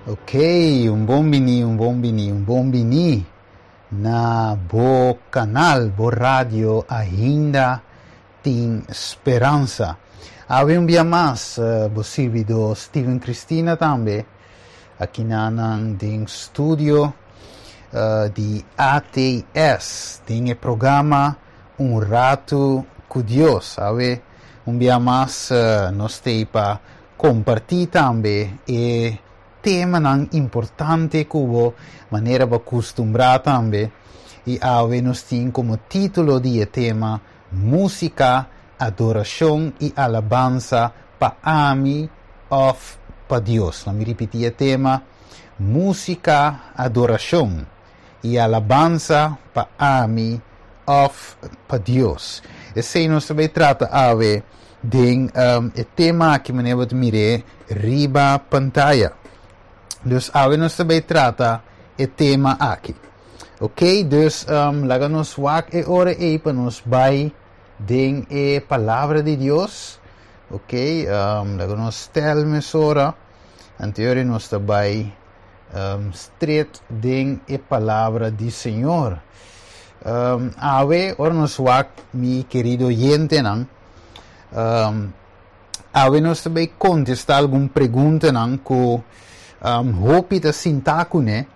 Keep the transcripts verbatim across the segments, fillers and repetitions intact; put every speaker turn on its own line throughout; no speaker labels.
Ok, un bon bini, un bon bini, un bon bini na bo kanal, bo radio Ainda Tin Speransa. Awe un dia mas, uh, bo sirbidó Steven Cristina tambe, aki na den studio uh, di A T S, den e programa Un Ratu ku Dios. Awe un dia mas uh, nos t'ei pa kompartí tambe e temanan importante ku bo, manera bo a kustumbrá tambe. I awe nos tin komo título di tema "Músika, Adorashon i Alabansa pa Ami òf pa Dios". Laga mi ripití e tema: "Músika, Adorashon i Alabansa pa Ami òf pa Dios". Esei nos ta bai trata awe den um, e tema aki, manera bo mira riba pantaya. Dus awe nos ta bai trata e tema aki. Ok, dus um, laga nos wak e ora ei pa nos bai den e palabra di Dios. Ok, um, laga nos stel mesora. Anterior nos ta bai um, straight den e palabra di Señor. Um, awe, ora nos wak, mi kerido oyentenan. Um, awe nos ta bai kontestá algun preguntanan ku um, hopi ta sinta kuné.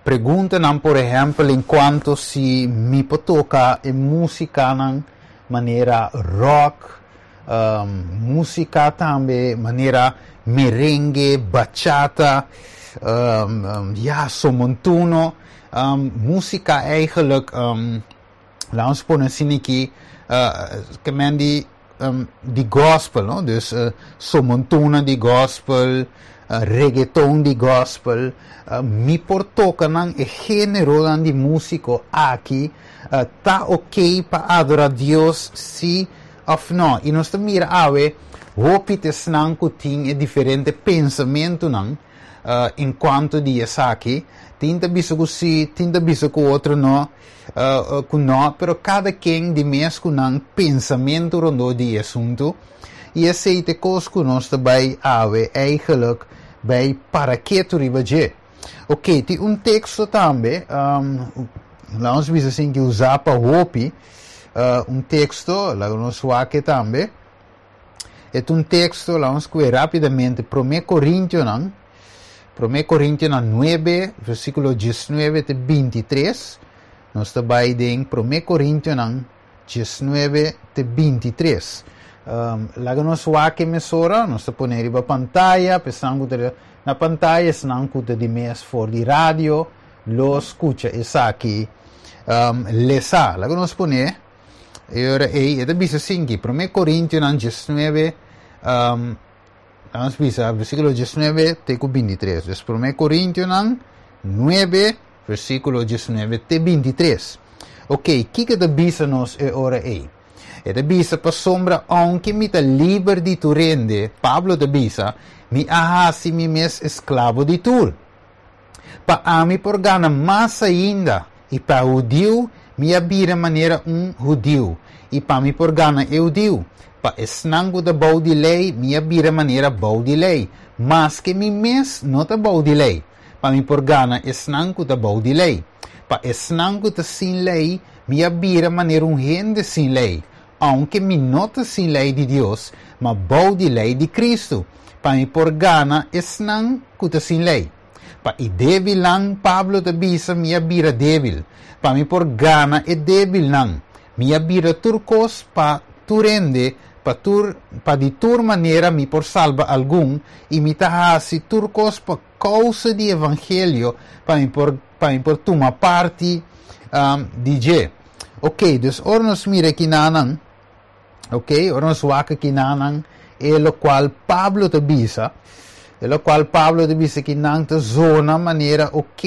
Preguntanan, por ehèmpel, en kuanto si mi por toka e músikanan manera rock, um, músika tambe manera merengue, bachata, um, um, ja, son montuno, um, músika eigenlijk, um, laten we pone asina aki, uh, ke men di, um, di gospel, no? Dus uh, son montuno di gospel, uh, reggaeton di gospel, uh, mi por toka nan e género di músika aki, uh, ta ok pa adorá Dios, si òf no? I nos mira awe, hopi t'esnan ku tin e diferente pensamentunan uh, en kuanto di esaki, tin ta bisa ku si, tin ta bisa ku otro no, uh, uh, ku no, pero kada ken di mes ku nan pensamentu rondó di asuntu. I esei ta kos ku nos ta bai awe eigenlijk bai para ketu riba dje. Ok, tin un teksto tambe, um, laga nos bisa asina ku usa pa hopi, uh, un teksto, laga nos wak tambe. E un teksto, laga nos kue rápidamente, Promé Korintionan, Promé Korintionan nuebe, versíkulo diesnuebe te bintitres. Nos ta bai den Promé Korintionan diesnuebe te bintitres. Um, laga nos wak mesora, nos ta pone riba pantaya, pensando na pantaya, esnan ku di mes for di radio, lo skucha esaki um, lesa. Laga nos pone, e ora ei, e ta bisa asina, Promé Korintionan diesnuebe, um, ban bisa, versíkulo diesnuebe te bintitres. Dus Promé Korintionan nuebe, versíkulo diesnuebe te bintitres. Ok, kiko e ta bisa nos e ora ei? E ta bisa: "Pasombra, aunke mi ta liber di tur hende", Pablo ta bisa, "mi a hasi mi mes esklabo di tur, pa ami por gana mas ainda. I pa hudiu mi a bira manera un hudiu, i pa mi por gana e hudiu. Pa esnan ku ta bou di lei mi a bira manera bou di lei, maske mi mes no ta bou di lei, pa mi por gana esnan ku ta bou di lei. Pa esnan ku ta sin lei mi a bira manera un hende sin lei, aunke mi no ta sin lei di Dios, ma bou di lei di Kristu, pa mi por gana esnan ku ta sin lei. Pa e débilnan", Pablo ta bisa, "mi a bira débil, pa mi por gana e débilnan. Mi a bira tur kos pa tur hende, pa tur pa di tur manera mi por salba algun, i mi ta hasi tur kos pa kousa di evangelio, pa mi por pa mi por tuma parti um, di dje". Ok, dus ora nos mira akinan, ok, ora nos wak akinan, e lokual Pablo ta bisa, e lokual Pablo ta bisa akinan ta zona manera ok,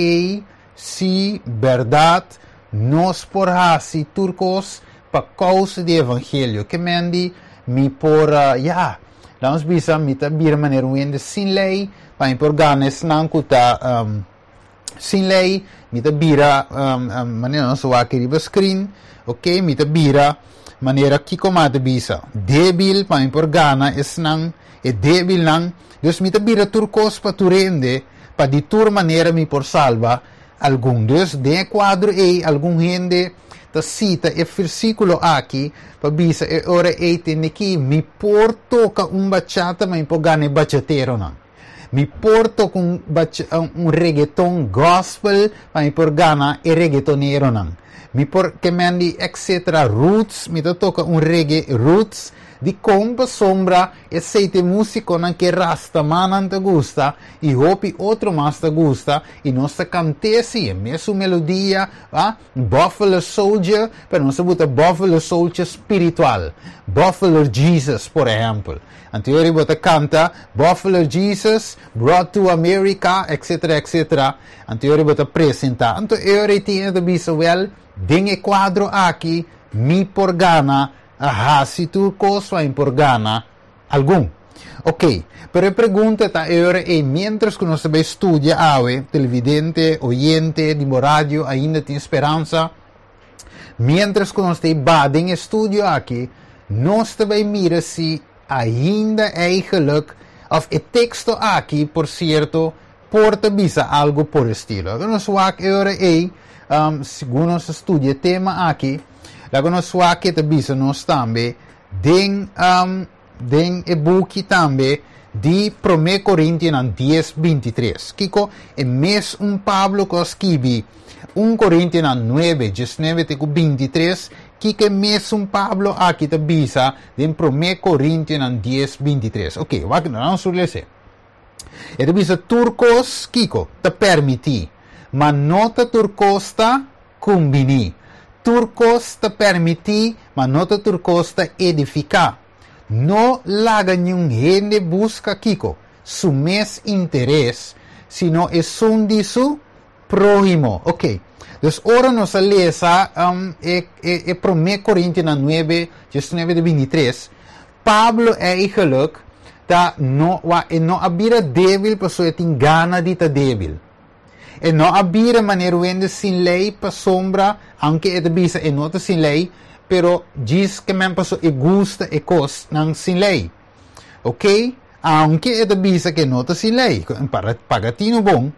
si berdat, nos por hasi tur kos pa kousa di evangelio. Ke men di mi por, uh, ja, laga bisa, mi ta bira manera un hende sin lei, pa mi por gana esnan ku ta um, sin lei, mi ta bira um, um, manera nos wak riba screen, ok, mi ta bira manera kiko mi ta bisa, débil, pa mi por gana esnan. E débilnan. Dus mi ta bira tur kos pa tur hende, pa di tur manera mi por salba algun. Dus den e kuadro ei algun hende ta sita e versíkulo aki pa bisa e ora ei tende ki mi por toka un bachata ma mi por gana e bachateronan. Mi por toka un un reggaeton gospel pa mi por gana e reggaetoneronan. Mi por ke men di etcetera roots mi ta toka un reggae roots. Dikon? Pasobra esei ta e músikonan ku e rastamannan ta gusta i hopi otro mas ta gusta i nos ta kant'é sí, e mesun melodia, a Buffalo Soldier, pero nos ta buta Buffalo Soldier spiritual, Buffalo Jesus, por ehèmpel. Anto yori bo ta kanta Buffalo Jesus brought to America, etcetera, etcetera. Anto yori bo ta presentá. Anto e ora ei tin e ta bisa, wèl, den e kuadro aki mi por gana. A hasi tur kos pa mi por gana algun. Ok, pero e pregunta ta e ora ei, miéntras ku nos ta bai studia awe, televidente, oyente di bo radio ainda tin speransa? Miéntras ku nos ta ei ba den e studio aki, nos ta bai mira si ainda eigenlijk, òf e teksto aki, por sierto, por ta bisa algu por estilo. Laga nos wak e ora ei, segun nos ta studia e tema aki, laga nos wak ke ta bisa nos tambe den den e buki tambe di Promé Korintionan dies binti tres. Kiko e mes un Pablo ku a skibi un Korintionan nuebe, diesnuebe te ku binti tres, kiko e mesun Pablo aki ta bisa den Promé Korintionan dies binti tres? Oke, wak, nos tur lese. E ta bisa tur kos, kiko? Ta permití, ma no ta tur kos ta kumbiní. Tur kos ta permití, ma no ta tur kos ta edifiká. No laga niun hende buska kiko? Su mes interes, sino esun di su próhimo. Oke. Dus ora nos a lesa e e promé Korintionan nuebe, diesnuebe te bintitres, Pablo eigenlijk ta no wa e no a bira débil pasobra e tin gana di ta débil. E no a bira manera un hende sin lei pasobra, aunke e ta bisa e no ta sin lei, pero djis ke men pasobra e gusta e kosnan sin lei. Oke, aunke e ta bisa ke e no ta sin lei, para paga tinu bon,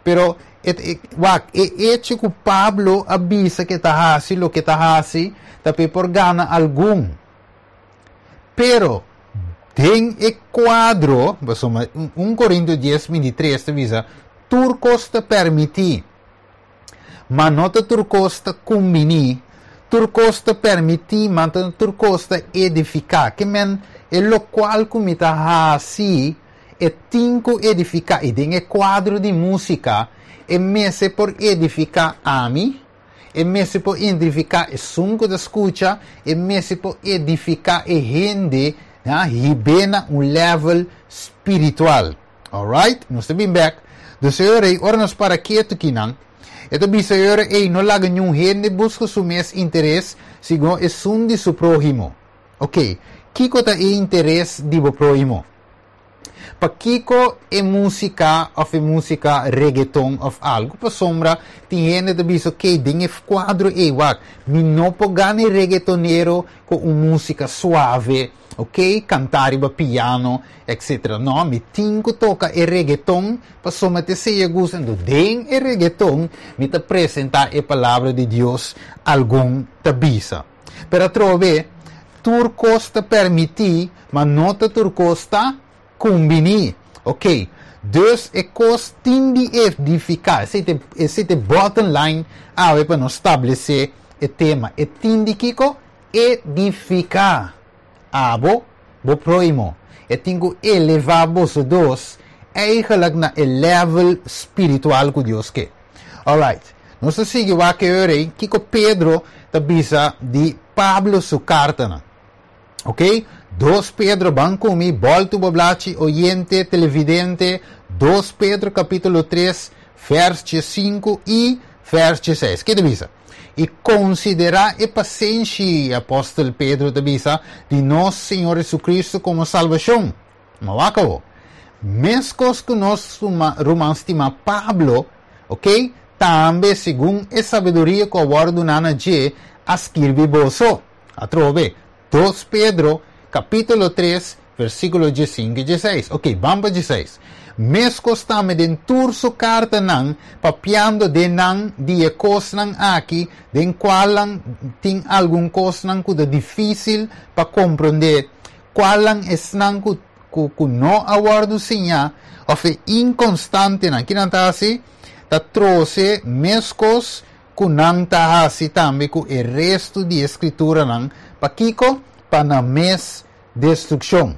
pero e e wak e echo ku Pablo a bisa ke e ta hasi loke e ta hasi ta pa e por gana algun. Pero, den e kuadro, pasobra un Korintio dies binti tres ta bisa, Tur kos ta permití, ma no ta tur kos ta kumbiní, tur kos ta permití, ma no tur kos ta edifiká. Ke men, e lokual ku mi ta hasi, e tin ku edifiká. I den e kuadro di músika, e mester por edifiká ami, E mester por identifiká esun ku ta skucha, e mester por edifiká e hende, ya, hib'é na un level spiritual. Alright, nos ta bin bèk. Dus e ora ei, ora nos para ketu kinan, e ta bisa e ora ei, no laga niun hende buska su mes interes, sino esun di su próhimo. Oké, kiko ta e interes di bo próhimo? Pakiko e músika òf e músika reggaeton òf algu? Pasobra tin hende ta bisa, ok, den e kuadro ei, wak, mi no por gana e reggaetonero ku un músika suave, ok, kantá riba piano, etcetera. No, mi tin ku toka e reggaeton pasobra ta esei e gusta. Anto den e reggaeton mi ta presentá e Palabra di Dios, algun ta bisa. Pero atrobe, tur kos ta permití, ma no ta tur kos ta kumbiní. Ok, dus e kos tin di edifiká. Esei ta, esei ta e bottom line awe pa nos stablesé e tema. E tin di kiko? Edifiká. Abo, bo próhimo. E tin ku elevá boso dos eigenlijk na e level spiritual ku Dios ke. Alright, nos ta sigui wak e ora ei kiko Pedro ta bisa di Pablo su kartanan. Ok, dos Pedro, ban ku mi, bòltu bo blachi, oyente, televidente, dos Pedro kapítulo tres, vèrs sinku i vèrs seis. Ke ta bisa? I konsiderá e pasenshi, apòstel Pedro ta bisa, di nos Señor Jesucristo komo salbashon. Ma wak awo. Meskos ku nos ruman stimá Pablo, ok, tambe segun e sabiduria ku a wòrdu duná na dje, a skirbi boso. Atrobe, dos Pedro, kapítulo tres, Versíkulo diesinku i diesseis. Ok, ban pa diesseis. Meskos tambe den tur su kartanan, papiando den nan di e kosnan aki, den kualnan tin algun kosnan ku ta difísil pa komprondé, kualnan esnan ku, ku, ku no a wòrdu siñá, òf e inkonstantenan, ki nan ta hasi? Ta trose meskos ku nan ta hasi tambe ku e restu di e Skrituranan. Pakiko? Pa nan mes destrukshon.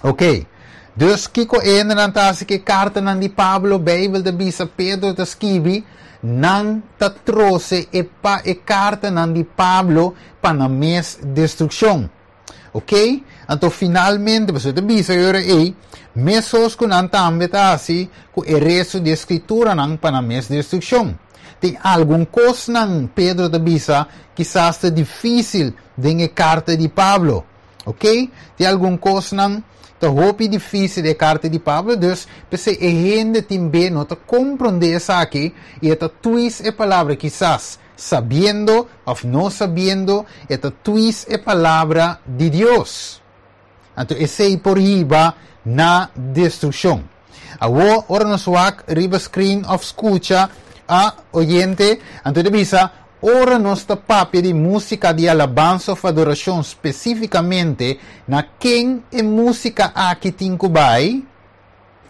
Ok. Dus kiko e nan ta hasi ku e kartanan di Pablo, Beibel ta bisa, Pedro ta skibi? Nan ta trose e pa e kartanan di Pablo pa nan mes destrukshon. Ok? Anto finalmente, bo ta bisa ora ei, meskos ku nan tambe ta hasi ku e restu di Skrituranan pa nan mes destrukshon. Tin algun kosnan, Pedro ta bisa, kisas ta difísil den e karta di Pablo. Ok? Tin algun kosnan ta hopi difísil e karta di Pablo, dus p'esei e hende tin be no ta komprondé esaki i e ta twist e palabra kisas, sabiendo òf no sabiendo, e ta twist e palabra di Dios. Anto esei por hiba na destrukshon. Awor, ora nos wak riba screen òf skucha a oyente, anto e ta bisa, ora nos ta papia di músika di alabansa òf adorashon spesífikamente, na ken e músika aki tin ku bai?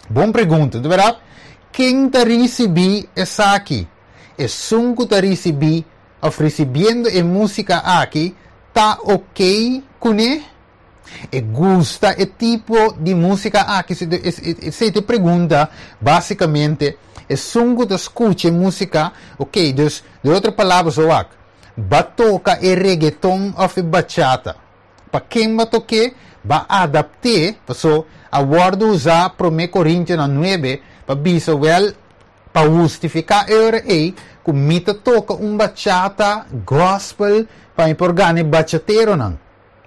Bon pregunta, di berdat? Ken ta risibí esaki? Esun ku ta risibí òf risibiendo e músika aki ta ok kuné? E gusta e tipo di músika aki? Esei ta e pregunta básikamente. Esun ku ta skucha e músika, ok, dus di otro palabra zo wak, ba toka e reggaeton òf e bachata. Pa ken ba tok'é? Ba adapt'é, paso a wòrdu usá Promé Korintionan nuebe pa bisa wèl pa hustifiká e ora ei ku mi ta toka un bachata gospel pa mi por gana e bachateronan.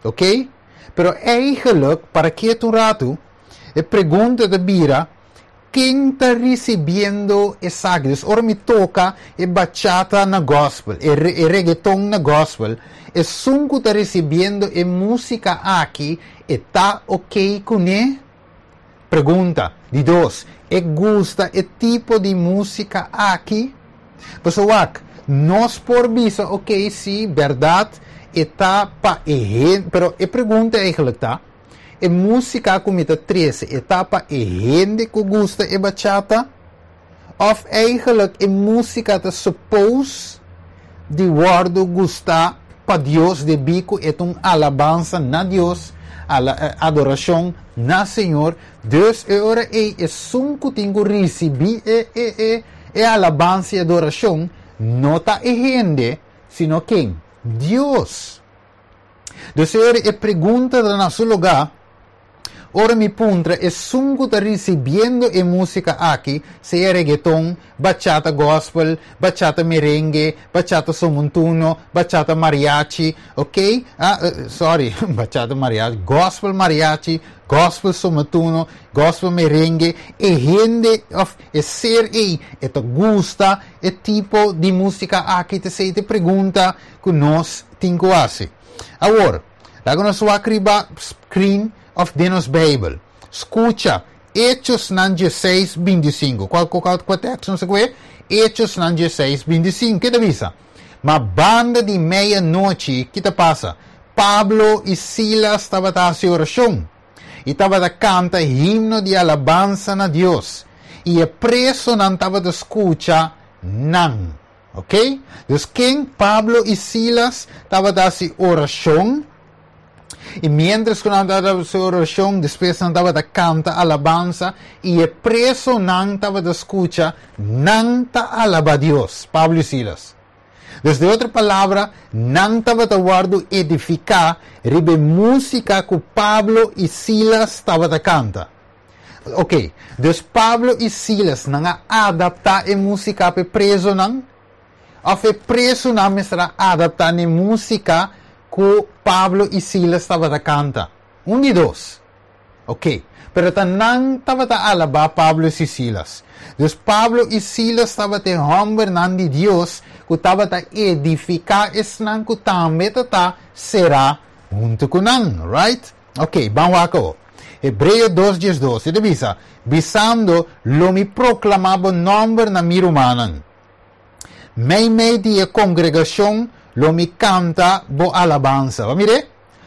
Ok? Pero eigenlijk, para ketu un ratu, e pregunta ta bira, ken ta risibiendo esaki? Dus ora mi toka e bachata na gospel, e, e reggaeton na gospel, esun ku ta risibiendo e músika aki, e ta ok kuné? Pregunta. Di dos, e gusta e tipo di músika aki? Paso wak, nos por bisa, ok, si, berdat, e ta pa e hende, pero e pregunta eigenlijk ta, e músika ku mi ta trese, e ta pa e hende ku gusta e bachata? Òf eigenlijk e músika ta suppose di wòrdu gustá pa Dios debí ku e ta un alabansa na Dios, ala, adorashon na Señor, dus e ora ei esun ku tin ku risibí e, e, e, e alabansa i adorashon no ta e hende, sino ken? Dios. Dus e ora e pregunta ta na su lugá, ora mi puntra esun ku ta risibiendo e músika aki, sea reggaeton, bachata gospel, bachata merengue, bachata son montuno, bachata mariachi, ok? Ah, eh, sorry, bachata mariachi, gospel mariachi, gospel son montuno, gospel merengue, e hende òf e ser ei, e ta gusta e tipo di músika aki, ta e pregunta ku nos tin ku hasi. Awor, laga nos wak riba screen òf den nos Beibel. Skucha, Echosnan diesseis, bintisinku. Kua, kua, kua teksto no sa kua? Echosnan diesseis, bintisinku. Kiko ta bisa? Ma banda di meianochi, kiko ta pasa? Pablo i Silas tabata hasi orashon. I tabata kanta himno di alabansa na Dios. I e presonan tabata skucha nan. Ok? Dus ken? Pablo i Silas tabata hasi orashon. I mientras ku nan tabata hasi orashon, despues nan tabata kanta alabansa i e presonan tabata skucha nan ta alabá Dios, Pablo i Silas. Dus di otro palabra, nan tabata wòrdu edifiká riba músika ku Pablo i Silas tabata kanta. Ok, dus Pablo i Silas nan a adaptá e músika pa e presonan, òf e presonan mester a adaptá e músika ku Pablo i Silas tabata kanta? Un di dos. Ok, pero ta nan tabata alabá Pablo i Silas. Dus Pablo i Silas tabata hòmbernan di Dios ku tabata edifiká esnan ku tambe tabata será huntu ku nan, right? Ok, ban wak. Hebreo dos diesdos. E ta bisa, bisando: "Lo mi proklamá bo nòmber na mi rumannan. Meimei di e kongregashon lo mi kanta bo alabansa." Mira?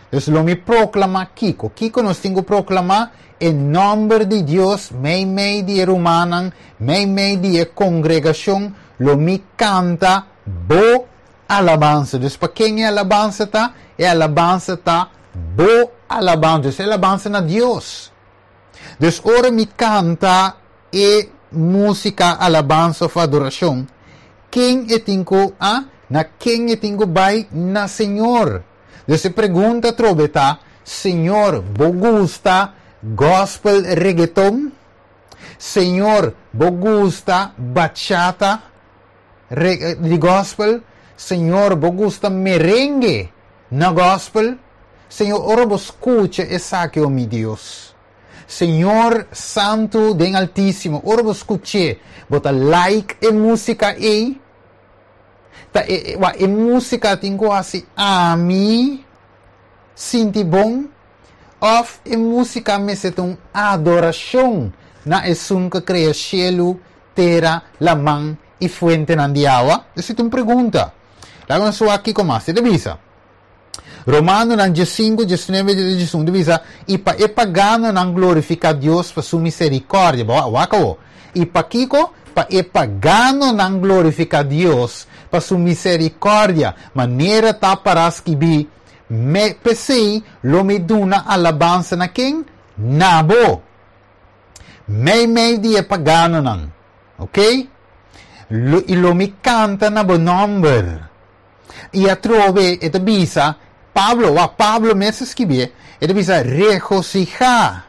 Dus lo mi proklamá kiko. Kiko nos tin ku proklamá? E nòmber di Dios, meimei di rumannan, meimei di kongregashon, lo mi kanta bo alabansa. Dus pa ken e alabansa ta? E alabansa ta bo alabansa. Dus e alabansa na Dios. Dus ora mi kanta e músika alabansa òf adorashon, ken e tin ku, ah, na ken e tin ku bai? Na Señor. Dus e pregunta trobe ta: Señor, bo gusta gospel reggaeton? Señor, bo gusta bachata di gospel? Señor, bo gusta merengue na gospel? Señor, ora bo skucha esaki, oh mi Dios. Señor Santu den Altísimo, ora bo skucha, bo ta like e músika ei? Ta e, e, e músika tin ku hasi ami sinti bon? Òf e músika mester un adorashon na esun ku a krea shelu, tera, laman i fuentenan di awa? Esei ta un pregunta. Laga nos aki kon mas. E bisa. Romanonan diesinku, diesnuebe, diesun, bisa, i pa e paganonan glorifiká Dios pa su miserikòrdia. Wak. I pa kiko? Pa e paganonan glorifiká Dios pa su miserikòrdia. Manera ta pará skibí: Me p'esei lo mi duna alabansa na ken? Na bo. Meimei di e paganonan. Ok? Lo, i lo mi kanta na bo nòmber. I atrobe, e ta bisa, Pablo, wa Pablo mes a skirbi, e ta bisa: "Regosihá,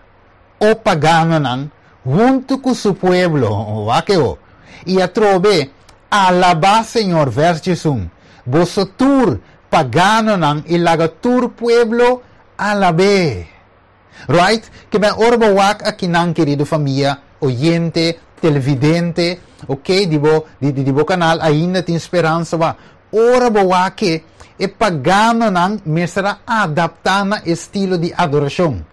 o paganonan, huntu ku su pueblo." Wak o. I atrobe: "Alabá Señor", verso un. "Boso tur paganonan, i laga tur pueblo alab'é." Right? Ke men ora bo wak akinan, kerido famia, oyente, televidente, ok, di bo, di, di, di bo kanal Ainda Tin Speransa, wa. Ora bo wak e paganonan mester a adaptá na estilo di adorashon.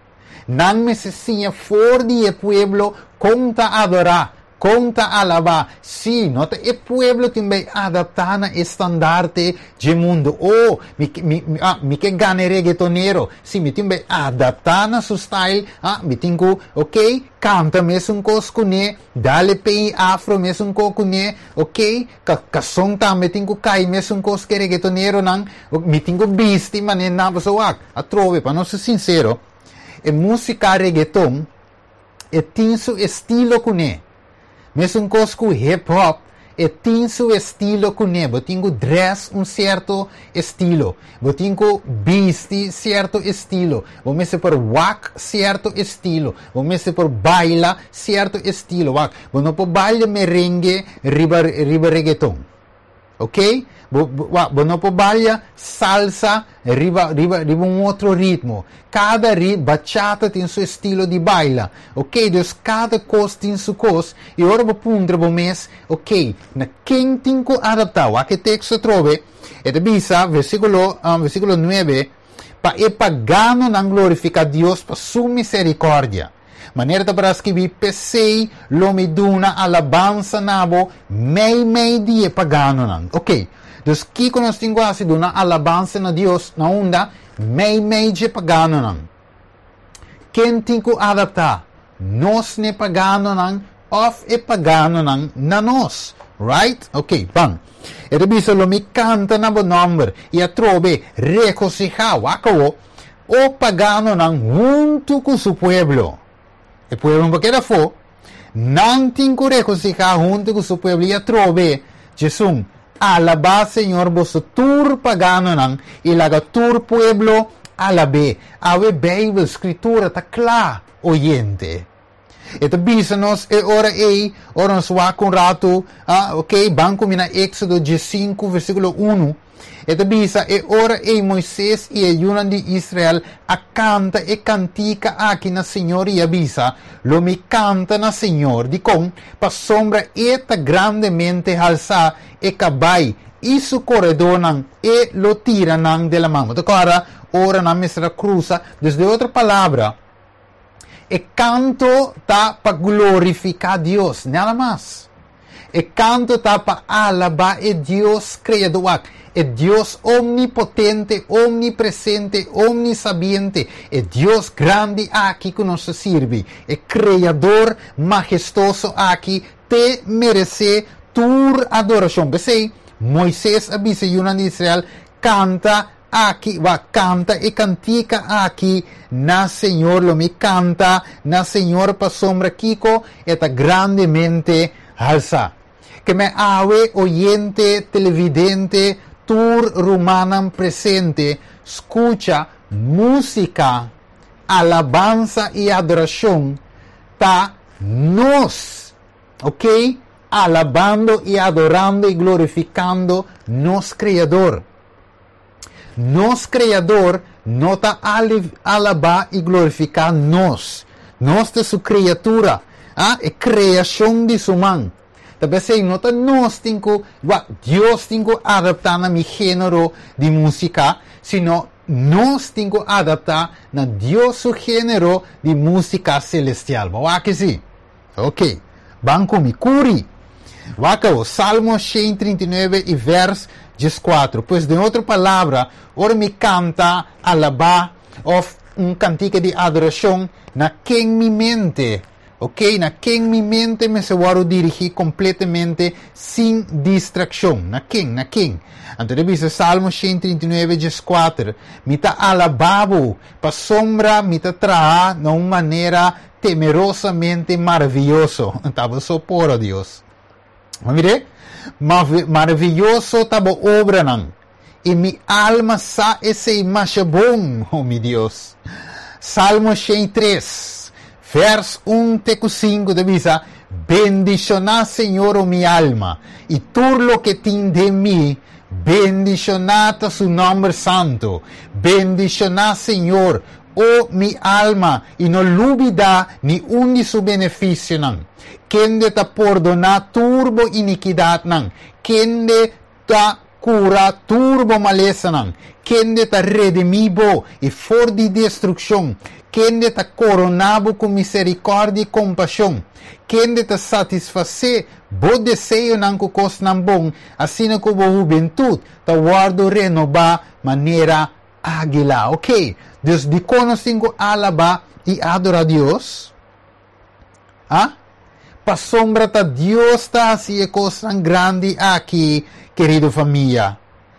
Nan mester siña for di e pueblo kon ta adorá, kon ta alabá. Si, no ta e pueblo tin bai adaptá na estandarte di mundu. Oh, mi, mi, ah, mi ke gana reggaetonero. Si, mi tin bai adaptá na su style. Ah, mi tin ku, ok, kanta mesun kos kuné, dale pei afro mesun kos kuné, ok, ka, kason tambe tin ku kai mesun kos ku reggaetoneronan, mi tin ku bisti manera nan. So wak, atrobe, pa nos ser sinsero, e músika reggaeton e tin su estilo kuné. Mesun kos ku hip hop, e tin su estilo kuné. Bo tin ku dress un sierto estilo. Bo tin ku bisti sierto estilo. Bo mester por wak sierto estilo. Bo mester por baila sierto estilo. Wak. Bo no por baila merengue riba, riba reggaeton. Ok? Bo, bo, bo no por baila salsa riba, riba, riba un otro ritmo. Kada ri, bachata tin su estilo di baila. Ok? Dus kada kos tin su kos. I ora bo puntra bo mes, ok, na ken tin ku adaptá? Wak e teksto atrobe. E ta bisa, versíkulo, um, versíkulo nuebe, pa e paganonan glorifiká Dios pa su miserikòrdia. Manera ta pará skibí: "P'esei lo mi duna alabansa na bo, meimei di e paganonan." Ok. Dus kiko nos tin ku hasi? Duna alabansa na Dios na unda? Meimei di paganonan. Ken tin ku adaptá? Nos na e paganonan òf e paganonan na nos? Right? Ok, ban. E ta bisa: "Lo mi kanta na bo nòmber." I atrobe: "Regosihá, wak o, o paganonan, huntu ku su pueblo." E pueblo no keda afó. Nan tin ku regosihá huntu ku su pueblo. I atrobe, diesun: "Alabá Señor, boso tur paganonan, i laga tur pueblo alab'é." Awe Beibel, Skritura, ta kla, oyente. E ta bisa nos e ora ei, ora nos wak un ratu, ah, ok, ban ku mi na Éksodo diesinku, versíkulo un. E ta bisa: e ora ei Moises i e yunan di Israel a kanta e kantika aki na Señor i a bisa: "Lo mi kanta na Señor, dikon? Pasombra e ta grandemente halsá, e kabai i su koredónan e lo tira nan den laman." Awor, ora nan mester a krusa, dus den otro palabra, E kanto ta pa glorifiká Dios, nada mas. E kanto ta pa alabá e Dios kreador, e Dios omnipotente, omnipresente, omnisabiente, e Dios grandi aki ku nos ta sirbi, e kreador mahestuoso aki, ta meresé tur adorashon. P'esei, Moises a bisa yunan di Israel, kanta aki, bai kanta e kantika aki na Señor, lo mi kanta na Señor pasombra kiko, e ta grandemente halsá. Ke men awe oyente, televidente, tur rumannan presente, skucha músika, alabansa i adorashon, ta nos, ok? Alabando i adorando i glorifikando nos Kreador. Nos Kreador no ta alabá i glorifiká nos. Nos ta su kriatura, ah, e kreashon di su man. Talbes no ta nos tin ku, Dios tin ku adaptá na mi género di músika, sino nos tin ku adaptá na Dios su género di músika selestial. Bo ku si? Ok. Ban ku mi kuri. Wak, Salmo shen trinta i nuebe i vers dieskuater. Pues, den otro palabra, ora mi kanta, alabá, òf un kantika di adorashon, na ken mi mente, ok? Na ken mi mente mester wòrdu dirigí kompletamente sin distrakshon. Na ken? Na ken? Anto, bisa Salmo shen trinta i nuebe, dieskuater. Mi ta alabá bo, pasombra mi ta trahá na un manera temerosamente maravioso. Tabata so por Dios. Ma mira, maravioso ta bo obranan. I mi alma sa esei masha bon, oh mi Dios. Salmo shen tres, vers un te sinku, ta bisa: Bendishoná Señor, oh mi alma, i tur loke tin den mi, bendishoná su nòmber santu. Bendishoná Señor, oh mi alma, i no lubidá ni un di su benefisionan. Kende ta pordoná tur bo inikidatnan. Kende ta kura tur bo malesanan. Kende ta redimí bo for di destrukshon. Kende ta koroná bo ku miserikòrdia i kompashon. Kende ta satisfasé bo deseonan ku kosnan bon, asina ku bo hubentut ta wòrdu renobá manera águila. Ok, dus dikon nos tin ku alabá i adorá Dios? Ah? Pasombra ta Dios ta hasi e kosnan grandi aki, kerido famia.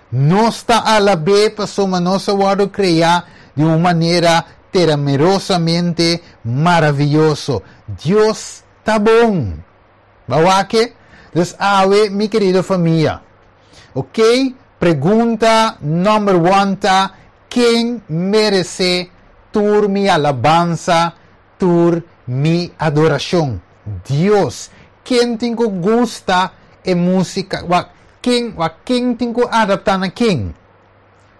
Nos ta alab'é pasombra nos a wòrdu kreá di un manera temerosamente maravioso. Dios ta bon. Bo wak? Dus awe, mi kerido famia. Ok? Pregunta number one ta: ken meresé tur mi alabansa, tur mi adorashon? Dios. Ken tin ku gusta e músika? Ken, ken tin ku adaptá na ken?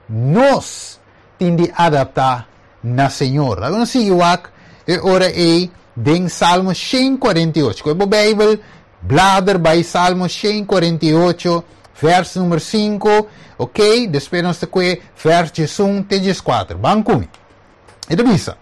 Nos tin di adaptá na Señor. Awor sigui wak e ora ei den Salmo shen kuarenta i ocho. Ku Beibel, blader bai Salmo shen kuarenta i ocho, vers number sinku, ok? Despues nos ta vers diesun te dieskuater. Ban ku mi. E ta bisa: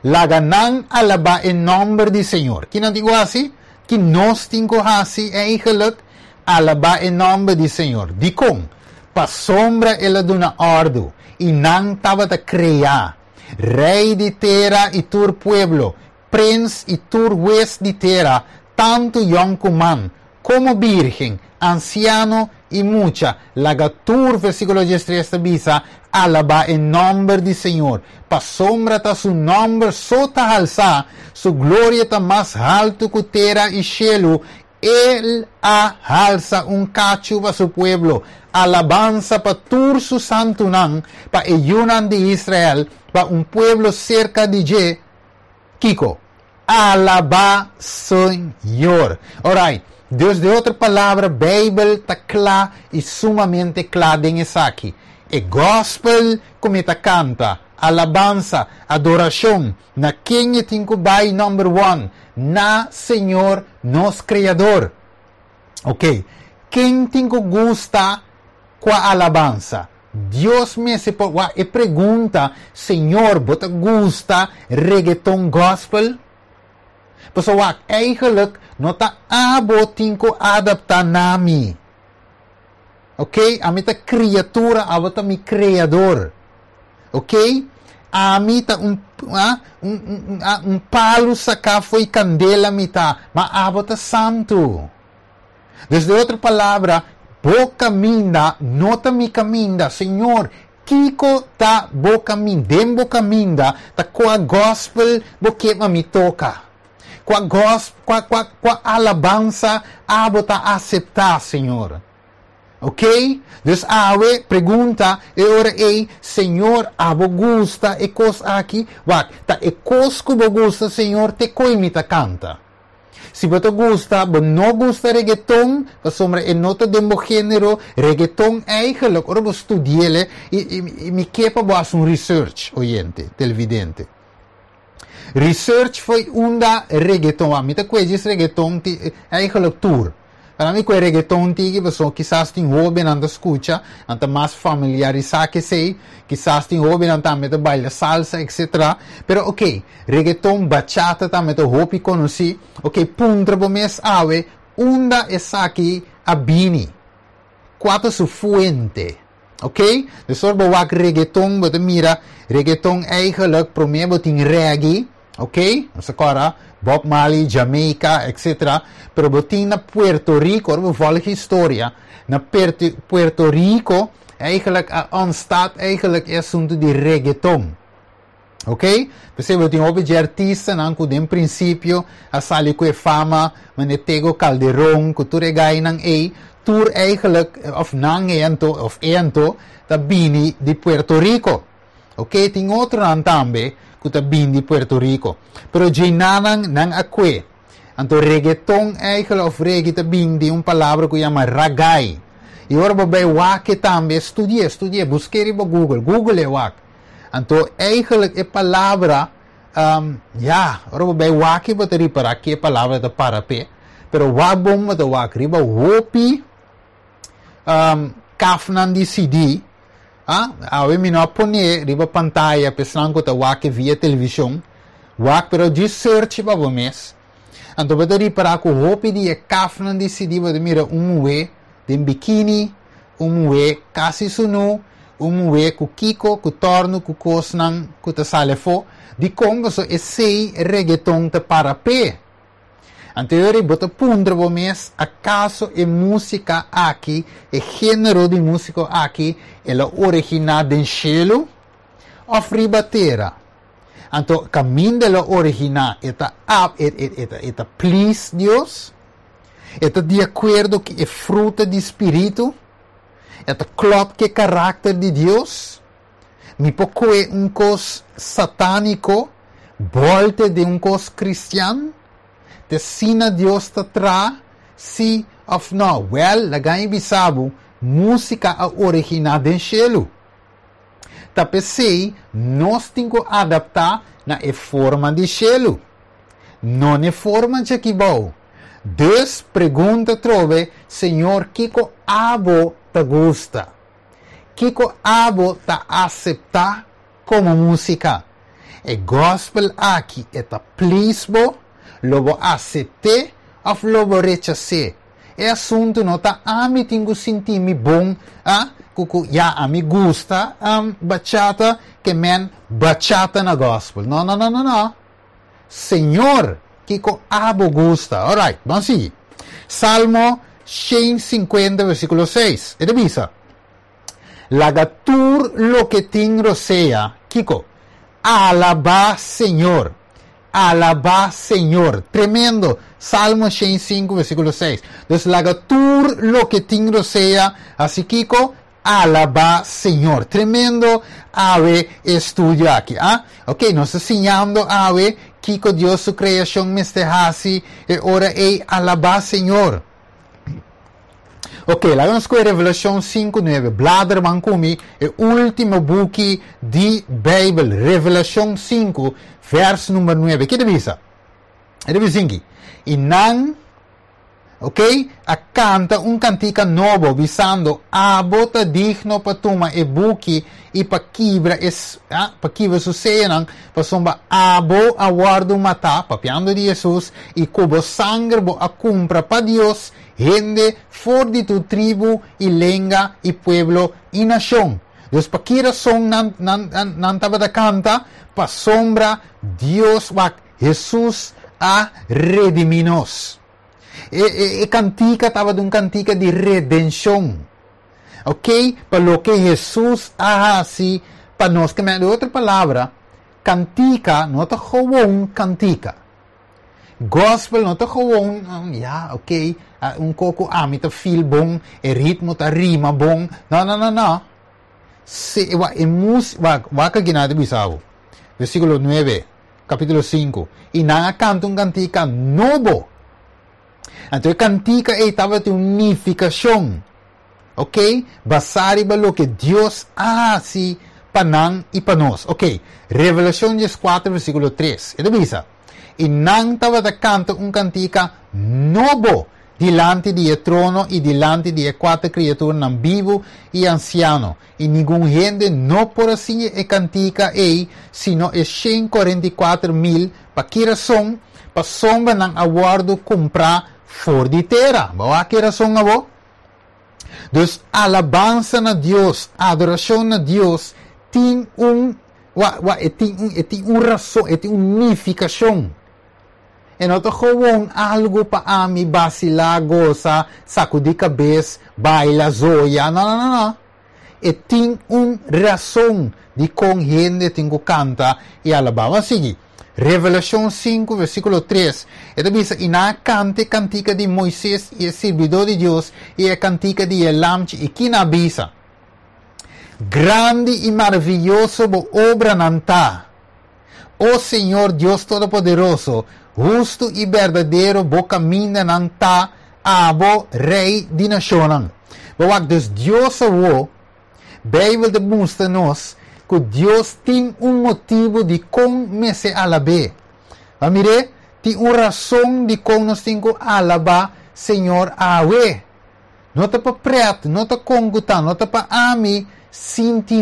Laga nan alabá e nòmber di Señor. Ki nan tin ku hasi? Ku nos tin ku hasi eigenlijk alabá e nòmber di Señor. Dikon? Pasombra el a duna òrdu i nan tabata kreá. Rei di tera i tur pueblo, prens i tur hues di tera, tantu yònkuman komo virgen, ansiano i mucha. Laga tur, versíkulo diestres ta bisa, alabá e nòmber di Señor. Pasombra ta su nòmber so ta halsá, su gloria ta mas haltu ku tera i shelu. El a halsa un kachu pa su pueblo, alabansa pa tur su santunan, pa e yunan di Israel, pa un pueblo serka di dje. Kiko? Alabá Señor. Alright. Dus den otro palabra, Beibel ta kla i sumamente kla den esaki. E gospel ku mi ta kanta, alabansa, adorashon, na ken tin ku bai number one? Na Señor, nos Kreador. Ok. Ken tin ku gusta kua alabansa? Dios mes e pregunta: Señor, bo ta gusta reggaeton gospel? Pasobra wak, eigenlijk no ta abo tin ku adaptá na mi. Ok? Ami ta kriatura, abo ta mi kreador. Ok? Ami ta un, ah, un, un, ah, un palu saká fo'i kandela mi ta, ma abo ta santu. Dus den otro palabra, bo kaminda no ta mi kaminda. Señor, kiko ta bo kaminda? Den bo kaminda, ta kua gospel bo ke pa mi toka? Kua gospel, kua, kua, kua alabansa abo ta aseptá, Señor? Ok? Dus awe pregunta e ora ei, Señor, abo gusta e kos aki? Wak, ta e kos ku bo gusta, Señor, te koi mi ta kanta. Si bo ta gusta, bo no gusta reggaeton, pasobra e no ta den bo género, reggaeton eigenlijk, ora bo studi'é, i, i, i mi ke pa bo hasi un research, oyente, televidente. Research fo'i unda reggaeton, mi ta kue reggaeton ti, eigenlijk tur. Pa mi ku reggaeton tiki, pasobra kisas tin hóbennan ta skucha, nan ta mas familiarisá ku esei, kisas tin hóbennan tambe ta baila salsa, et cetera. Pero ok, reggaeton, bachata tambe ta hopi konosí. Ok, puntra bo mes awe, unda esaki a bini? Kua ta su fuente? Ok? Dus ora bo wak reggaeton, bo mira, reggaeton eigenlijk promé bo tin reggae, ok? Nos awor, Bob Marley, Jamaica, et cetera. Pero bo tin na Puerto Rico, ora volg historia, na Puerto Rico, eigenlijk ontstaat eigenlijk e asuntu di reggaeton. Ok? Pesei bo tin hopi di artistanan ku den prinsipio a sali ku fama, manera Tego Calderon, ku tur e gainan ei, tur eigenlijk, of nan ento, of ento, ta bini di Puerto Rico. Ok? Tin otronan tambe ku ta bini di Puerto Rico. Pero djenan nan a kue. Anto reggaeton eigenlijk, of reggae, ta bini di un palabra ku yama ragai. I ora bo bai wak tambe, studia, studia, buska riba Google, Google e wak. Anto eigenlijk e palabra, um, ja, ora bo bai wak bo ta ripará ku e palabra ta para pe. Pero wak bon bo ta wak riba hopi um, kafnan di C D. Ah, awe mi no a pone riba pantaya pa esnan ku ta wak via televishon. Wak, pero di search pa bo mes. Anto bo ta ripará ku hopi di e kafnan di C D bo ta mira un muhé den bikini, un muhé kasi sunú, un muhé ku kiko, ku torno, ku kosnan, ku ta sali afó. Di kon so esei reggaeton ta para pe. Anto bo ta puntra bo mes, akaso e músika aki, e género di músika aki, el a originá den shelu òf riba tera? Anto, kaminda el a originá, e ta e, e, e, e ta please Dios? E ta di akuerdo ku e fruta di spiritu? E ta klòp ku karakter di Dios? Mi por kue un kos satániko, bòlt'é den un kos kristian? Ta asina Dios ta traha? Si òf no? Well, laga mi bisa bo, músika a originá den shelu. Ta pesei, nos tin ku adaptá na e forma di shelu. No na forma di aki bou. Dus pregunta trobe, Señor, kiko abo ta gusta? Kiko abo ta aseptá komo músika? E gospel aki e ta please bo, lo bo asept'é òf lo bo rechas'é? E asuntu no ta ami tin ku sinti mi bon, ah, ku ya ami gusta um, bachata, ke men bachata na gospel. No, no, no, no, no. Señor, kiko abo gusta? Alright, ban sigui. Salmo shen sinkuenta, versíkulo seis. E ta bisa: Laga tur loke tin rosea, kiko? Alabá Señor. Alabá Señor. Tremendo. Salmo shen sinku, versíkulo seis. Dus laga tur loke tin rosea, hasi kiko? Alabá Señor. Tremendo awe estudio aki. Ah? Ok, nos ta siñando awe kiko Dios su kreashon mester hasi e ora ei: alabá Señor. Ok, laga nos ku Revelashon sinku, nuebe. Blader ban ku mi, e último buki di Beibel, Revelashon sinku, vers number nuebe. Kiko ta bisa? E ta bisa aki: I nan Ok? A kanta un kantika nobo, bisando: "Abo ta digno pa tuma e buki i pa kibra e, ah, pa kibra su seyonan, pasobra abo a wòrdu matá", papiando di Hesus, "i ku bo sanger bo a kumpra pa Dios hende for di tur tribu i lenga i pueblo i nashon." Dus pa ki rason nan nan nan, nan tabata kanta? Pasobra Dios, wak, Hesus a redimí nos. E, e, e kantika tabata un kantika di redenshon. Ok? Pa loke Hesus a hasi pa nos. Ku e otro palabra, kantika no ta gewoon kantika. Gospel no ta gewoon, ja, ok, un koko ami ta feel bon, e ritmo ta rima bon. No, no, no, no. Se, wa, e mus, wa, wak kiko nan ta bisa. Versíkulo nuebe, kapítulo sinku. I nan a kanta un kantika nobo. Anto, e kantika ei tabatin un nifikashon. Ok? Basá riba loke Dios a hasi pa nan i pa nos. Ok. Revelashon dieskuater, versíkulo tres. E ta bisa: "I nan tabata kanta un kantika nobo dilanti di e trono i dilanti di e kuater kriaturanan bibu i ansiano. I ningun hende no por a siña e kantika ei, sino e shen kuarenta i kuater mil. Pa ki rason? Pasobra nan a wòrdu kumprá for di tera." Bo ki rason abo? Dus alabansa na Dios, adorashon na Dios, tin un, wa, wa, tin un, tin un rason, tin un nifikashon. E no ta gewoon algu pa ami vasilá, gosa, sakudí kabes, baila, zoya. No, no, no, no. E tin un rason di kon hende tin ku kanta i alabá. Ban sigui. Revelashon sinku, versíkulo tres. E ta bisa: "I nan a kanta kantika di Moises, e sirbidó di Dios, i e kantika di e Lamchi. I ki nan a bisa? Grandi i maravioso bo obranan ta, o Señor Dios Todopoderoso, hustu i berdadero bo kamindanan ta, abo Rei di nashonnan." Wak, dus Dios awo, Beibel ta mustra nos ku Dios tin un motibu di kon mester alab'é. Ma mira, tin un rason di kon nos tin ku alabá Señor awe. No ta pa pret, no ta konguta, no ta pa ami sinti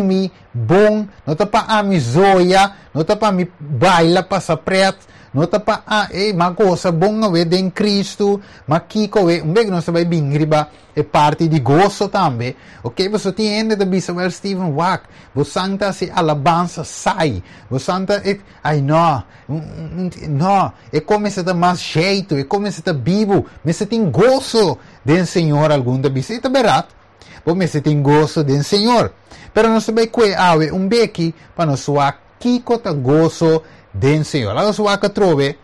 bon, no ta pa ami zoya, no ta pa mi baila pasa pret, no ta pa a, eh, m'a gosa bon awe den Kristu, ma kiko we, un bek nos bai bin riba e parti di goso tambe. Ok, bo tin hende ta bisa: "Well, Steven, wak, bo santa si alabansa sai, bo santa e, ai no, no, e kuminsá ta mas jeito, e kuminsá ta bibu, mester tin goso den Señor." Algun ta bisa, ta bèrdat, bo mester tin goso den Señor. Pero nos bai kue awe un beki pa nos wak kiko ta goso den Señor. Laga nos wak atrobe.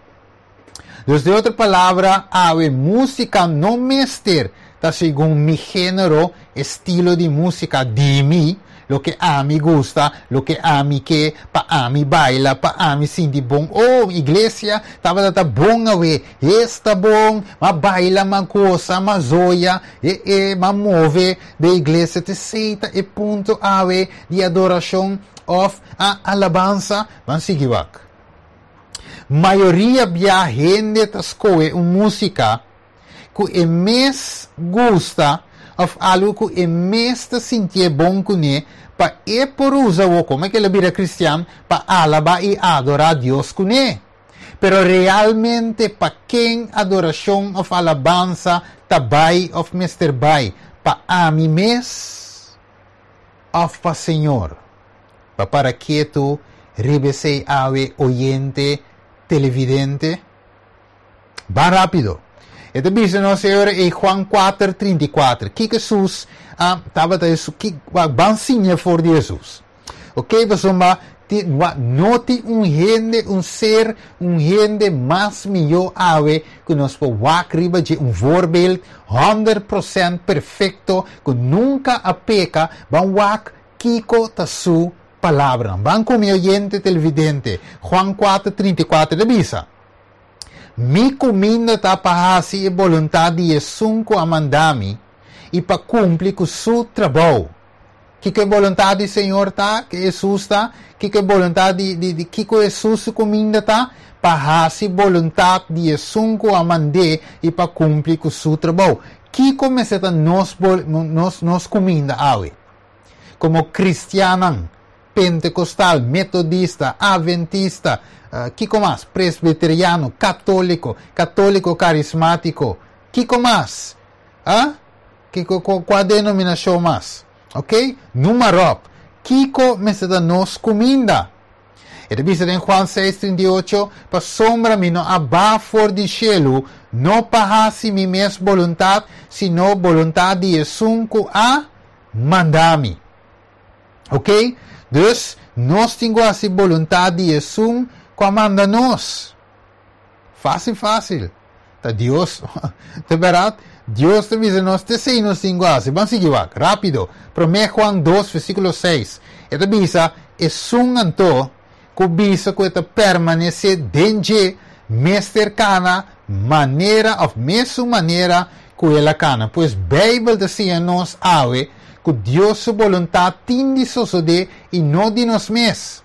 Dus di otro palabra, awe músika no mester ta segun mi género, estilo di músika di mi, loke ami gusta, loke ami ke, pa ami baila, pa ami sinti bon. Oh, iglesia tabata ta bon awe, esta bon, m'a baila, m'a gosa, m'a zoya, e, e, m'a move den iglesia, t'esei ta e punto awe di adorashon òf a alabansa. Ban sigui wak. Mayoria bia hende ta skohe un músika ku e mes gusta òf algu ku e mes ta sinti bon kuné pa e por usa o komo ku el a bira kristian pa alabá i adorá Dios kuné. Pero realmente pa ken adorashon òf alabansa ta bai òf mester bai? Pa ami mes òf pa Señor? Pa para ketu riba esei awe, oyente, televidente. Ban rápido. E ta bisa nos Señor e Juan kuater, trinta i kuater. Kiko Hesus ah, tabata ki ban siña for di Hesus. Ok, pessoal, no tin un hende, un ser, un hende mas mihó awe ku nos por wak riba dje, un voorbeeld honderd procent perfekto ku nunka a peka. Ban wak kiko ta su palabra. Ban ku mi, oyente, televidente. Juan kuater, trinta i kuater ta bisa: "Mi kuminda ta pa hasi e boluntat di Esun ku a manda mi i pa kumpli ku su trabou." Kiko e boluntat di Señor ta, ku Hesus ta, kiko e boluntat di, di, di kiko Hesus su kuminda ta, pa hasi boluntat di esun ku a mand'é i pa kumpli ku su trabou. Kiko mester ta nos, nos, nos kuminda awe? Komo kristiannan, pentekostal, metodista, adventista, uh, kiko mas? Presbiteriano, katóliko, katóliko karismátiko, kiko mas? Ah? Kiko, kua denominashon mas? Ok? Nummer op. Kiko mester ta nos kuminda? E ta bisa den Juan seis, trinta i ocho, pasobra mi no a baha for di shelu, no pa hasi mi mes boluntat, sino boluntat di esun ku a manda mi. Ok? Dus, nos tin ku hasi boluntat di esun ku a manda nos. Fásil, fásil. Ta Dios, ta bèrdat? Dios ta bisa nos, te esei nos tin ku hasi. Ban sigui wak, rápido. Promé Juan dos, versíkulo seis. E ta bisa, Esun anto ku bisa ku e ta permanesé den dje, mester kana manera òf mesun manera ku el a kana. Pues Beibel ta siña nos awe ku Dios su boluntat tin di sosodé i no di nos mes.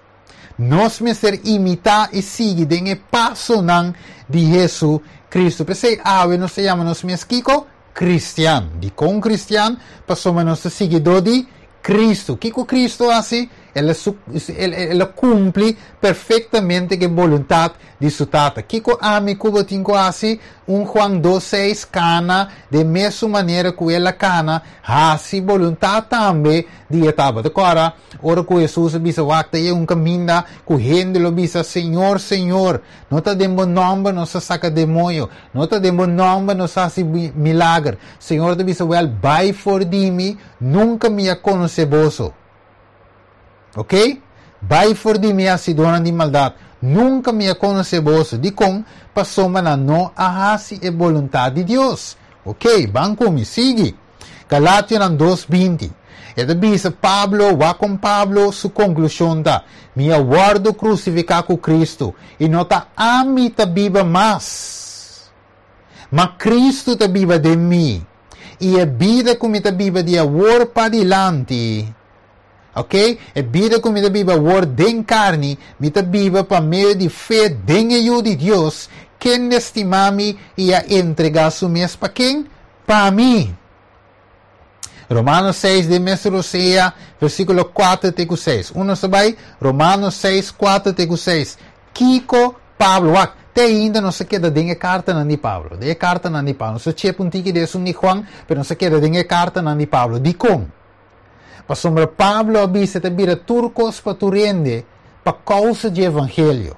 Nos mester imitá i sigui den e pasonan di Hesu-Kristu. P'esei awe nos ta yama nos mes kiko? Kristian. Dikon kristian? Pasobra nos ta siguidó di Kristu. Kiko Kristu a hasi? El a su, el, el a kumpli perfektamente ku e boluntat di su Tata. Kiko ami ku bo tin ku hasi? Un Juan dos seis, Kana den mesun manera ku el a kana, hasi boluntat tambe di e Tata. Kòrda ora ku Hesus a bisa, Wak, ta yega un kaminda ku hende lo bisa, Señor, Señor, no ta den bo nòmber nos a saka demoño, no ta den bo nòmber nos a hasi milager. Señor ta bisa, Wèl, bai for di mi, nunka mi a konosé boso. Ok? Bai for di mi, hasidónan di maldat, nunka mi a konosé boso. Dikon? Pasobra nan no a hasi e boluntat di Dios. Ok, ban ku mi, sigui. Galationan dos binti. E ta bisa Pablo, wak kon Pablo su konklushon ta, Mi a wòrdu krusifiká ku Kristu, i no ta ami ta biba mas, ma Kristu ta biba den mi. I e bida ku mi ta biba di awor padilanti, ok, e bida ku mi ta biba awor den karni, mi ta biba pa medio di fe den e Yu di Dios, kende stima mi i a entregá su mes pa ken? Pa mi. Romanos seis den mes rosea, versíkulo kuater te ku seis. Uno sa bai, Romanos seis, kuater te ku seis. Kiko Pablo, wak, te ainda nos a keda den e kartanan di Pablo, den e kartanan di Pablo. Nos a chep un tiki di esun di Juan, pero nos a keda den e kartanan di Pablo. Dikon? Pasobra Pablo a bisa ta bira tur kos pa tur hende pa kousa dje evangelio.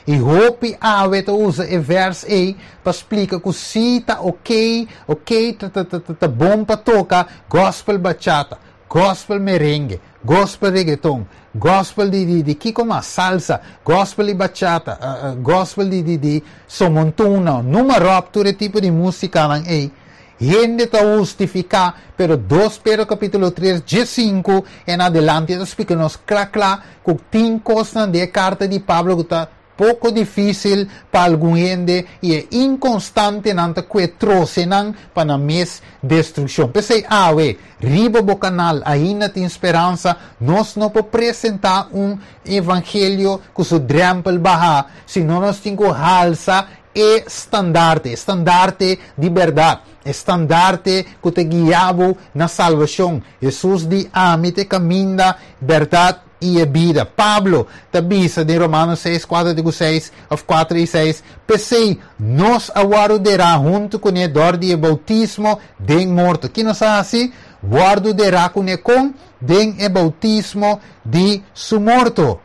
I hopi awe ta usa e vers ei pa splika ku si ta okey, okey, ta ta ta ta bon pa toka gospel bachata, gospel merengue, gospel reggaeton, gospel di di di kiko mas, salsa, gospel di bachata, gospel di di di somontuna, numa ròp tur e tipo di musikanan ei. Hende ta hustifiká, pero dos Pedro kapítulo tres, dje sinku en adelante ta splika nos kla kla ku tin kosnan den e karta di Pablo ku ta poko difísil pa algun hende i e inkonstantenan ta kue trose nan pa nan mes destrukshon. P'esei awe, riba bo kanal Ainda Tin Speransa, nos no por presentá un evangelio ku su drèmpel bahá, sino nos tin ku halsa E standarte, e standarte di bèrdat, e standarte ku ta guia bo na salbashon. Hesus di, Ami ta e kaminda, bèrdat i e bida. Pablo ta bisa den Romano seis, kuater te ku seis, òf kuater i seis, P'esei, nos a wòrdu derá huntu kuné dor di e boutismo den morto. Ki nos a hasi? Wòrdu derá kuné kon? Den e boutismo di su morto.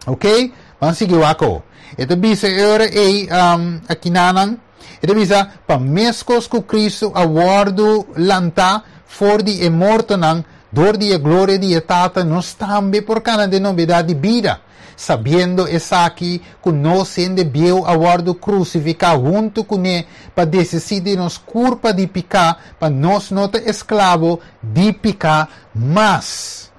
Ok, ban sigui wak awo. E ta bisa e ora ei um, akinanan, e ta bisa, pa meskos ku Kristu a wòrdu lantá for di e mortonan dor di e gloria di e Tata, nos tambe por kana den nobedat di bida, sabiendo esaki, ku nos hende bieu a wòrdu krusifiká huntu kuné pa desisí di nos kurpa di piká, pa nos no ta esklabo di piká mas.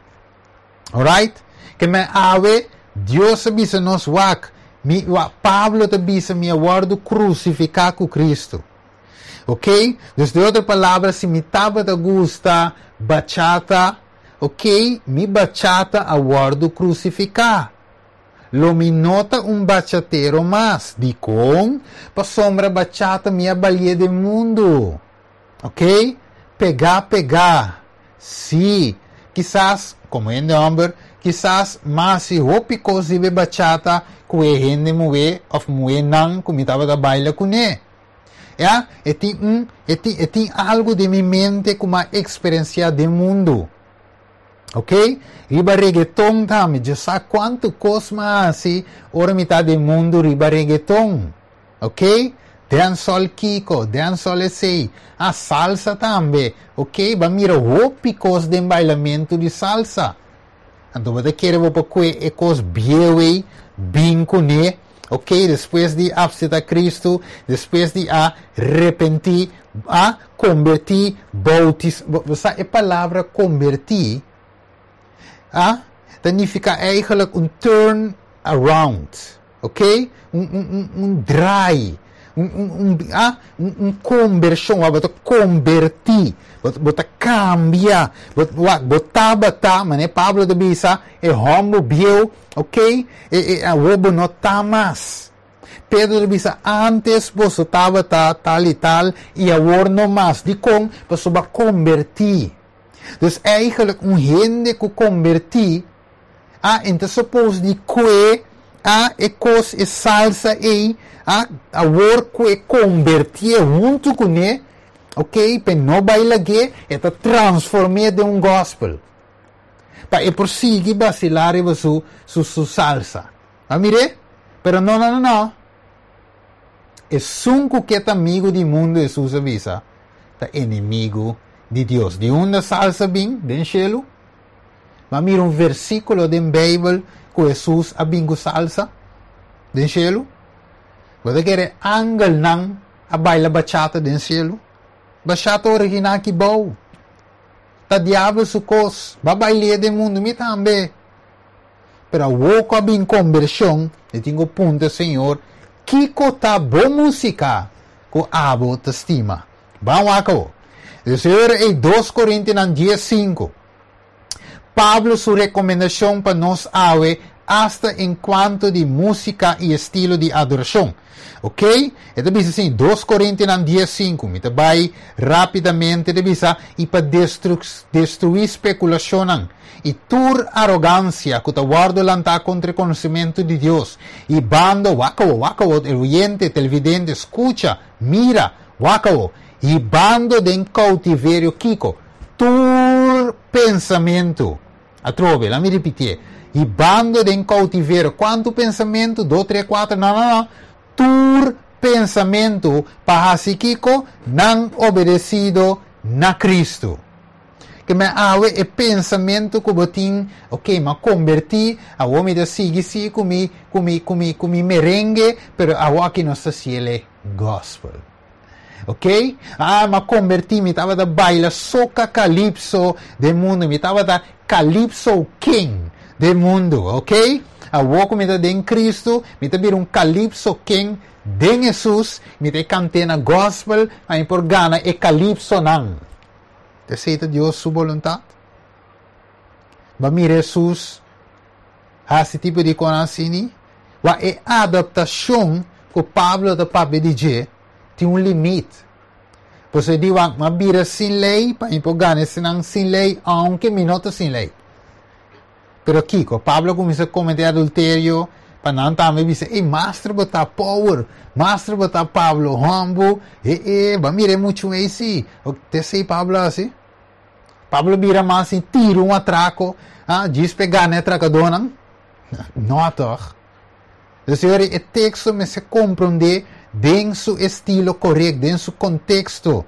Alright? Ke men awe, Dios a bisa nos, wak, mi, wak, Pablo ta bisa, mi a wòrdu krusifiká ku Kristu. Ok? Dus den otro palabra, si mi tabata gusta bachata, Ok, mi bachata a wòrdu krusifiká. Lo mi no ta un bachatero mas. Dikon? Pasombra bachata mi a bail'é den mundu. Ok? Pega, pega. Si. Kisas, komo hende hòmber, kisas m'a hasi hopi kos di bachata ku e hende muhé òf muhénan ku mi tabata baila kuné. Ja, e tin un, e tin, e tin algu den mi mente ku m'a eksperensiá den mundu. Ok? Riba reggaeton tambe, ya sa kuantu kos m'a hasi, ora mi ta den mundu riba reggaeton. Ok? Dancehall kiko, dancehall esei. A salsa tambe. Ok? B'a mira hopi kos den bailamentu di salsa. Anto, bo kere bo kue e kos bieu bin kuné. Ok, despues di aseptá Kristu, despues di a arepentí, a konvertí, boutisá. E palabra konvertí, ah, significa eigenlijk un turn around, ok? Un, un, un, un draai, un, un, un, ah, un, un konvershon, bo ta konvertí, bo ta kambia, bo tabata, manera Pablo ta bisa, e hòmber bieu, ok? E, e, awor bo no ta mas. Pedro ta bisa, antes boso tabata tal i tal, i awor no mas. Dikon, boso a konvertí. Dus eigenlijk un hende ku konvertí, ah, anto suppose di kue, ah, e kos e salsa ei, ah, awor ku e konvertí huntu kuné, ok, pa no baila ge, e ta transformá den un gospel. Pa e prosigui vasilá su, su, su salsa. Ah, mire? Pero no, no, no, no. Esun ku ta amigu di mundu, Hesus a bisa, ta enemigu di Dios. Di unda salsa bin, den shelu. Ma mira un versíkulo di Beibel ku Hesus a bin ku salsa, den shelu. Bo kere angelnan a baila bachata den shelu? Bachata original ki bou. Ta diabel su kos, b'a bail'é den mundu mi tambe. Pero awor ku bin konvershon, i tin punto, Señor, kiko ta bon músika ku abo ta stima. Ban wak. Señor, e dos Korintionan dies sinku. Pablo su rekomendashon pa nos awe hasta en kuanto di músika i estilo di adorashon. Ok? E ta bisa asina, dos Korintionan dies sinku. Mi ta bai rápidamente di bisa i pa destru destruí spekulashon i tur arogansia ku ta wòrdu lantá kontra konosementu di Dios. Hibando, wak, wak, e oyente, televidente, skucha, mira, wak, hibando den koutiverio kiko, tur pensamentu. Atrobe, laga mi ripití. Hibando den koutiverio. Kuantu pensamentu? Dos, tres, kuater. No, no, no. Tur pensamentu pa hasi kiko? Nan obedesido na Kristu. Ke men awe e pensamentu ku bo tin, ok, m'a konvertí, awor mi ta sigui si ku mi, ku mi, ku mi, ku mi merengue, pero awor aki nos ta gospel. Ok? Ah, m'a konvertí, mi tabata baila soca calypso den mundu, mi tabata calypso king den mundu, ok? Awor ku mi ta den Kristu, mi ta bira un calypso king den Hesus, mi ta kanta na gospel, ei por gana e calypso nan. Esei ta Dios su boluntat? B'a mira Hesus hasi tipo di kos asina? Wa e adaptashon ku Pablo ta papia di dje tin un limite. Bo di wa m'a bira sin lei pa por gana esnan sin lei, aunke mi no ta sin lei. Pero kiko, Pablo a kuminsá kometé adulterio, pa nan tambe bisa, ei, master bo ta power, master bo ta Pablo, humble, e e, b'a mira muchu ei si, te sei Pablo asina. Pablo bira mas asina, tira un atrako, ah, djis pa gana atrakadónan. No, toch? Dus e teksto mester komprondé den su estilo korekto, den su konteksto.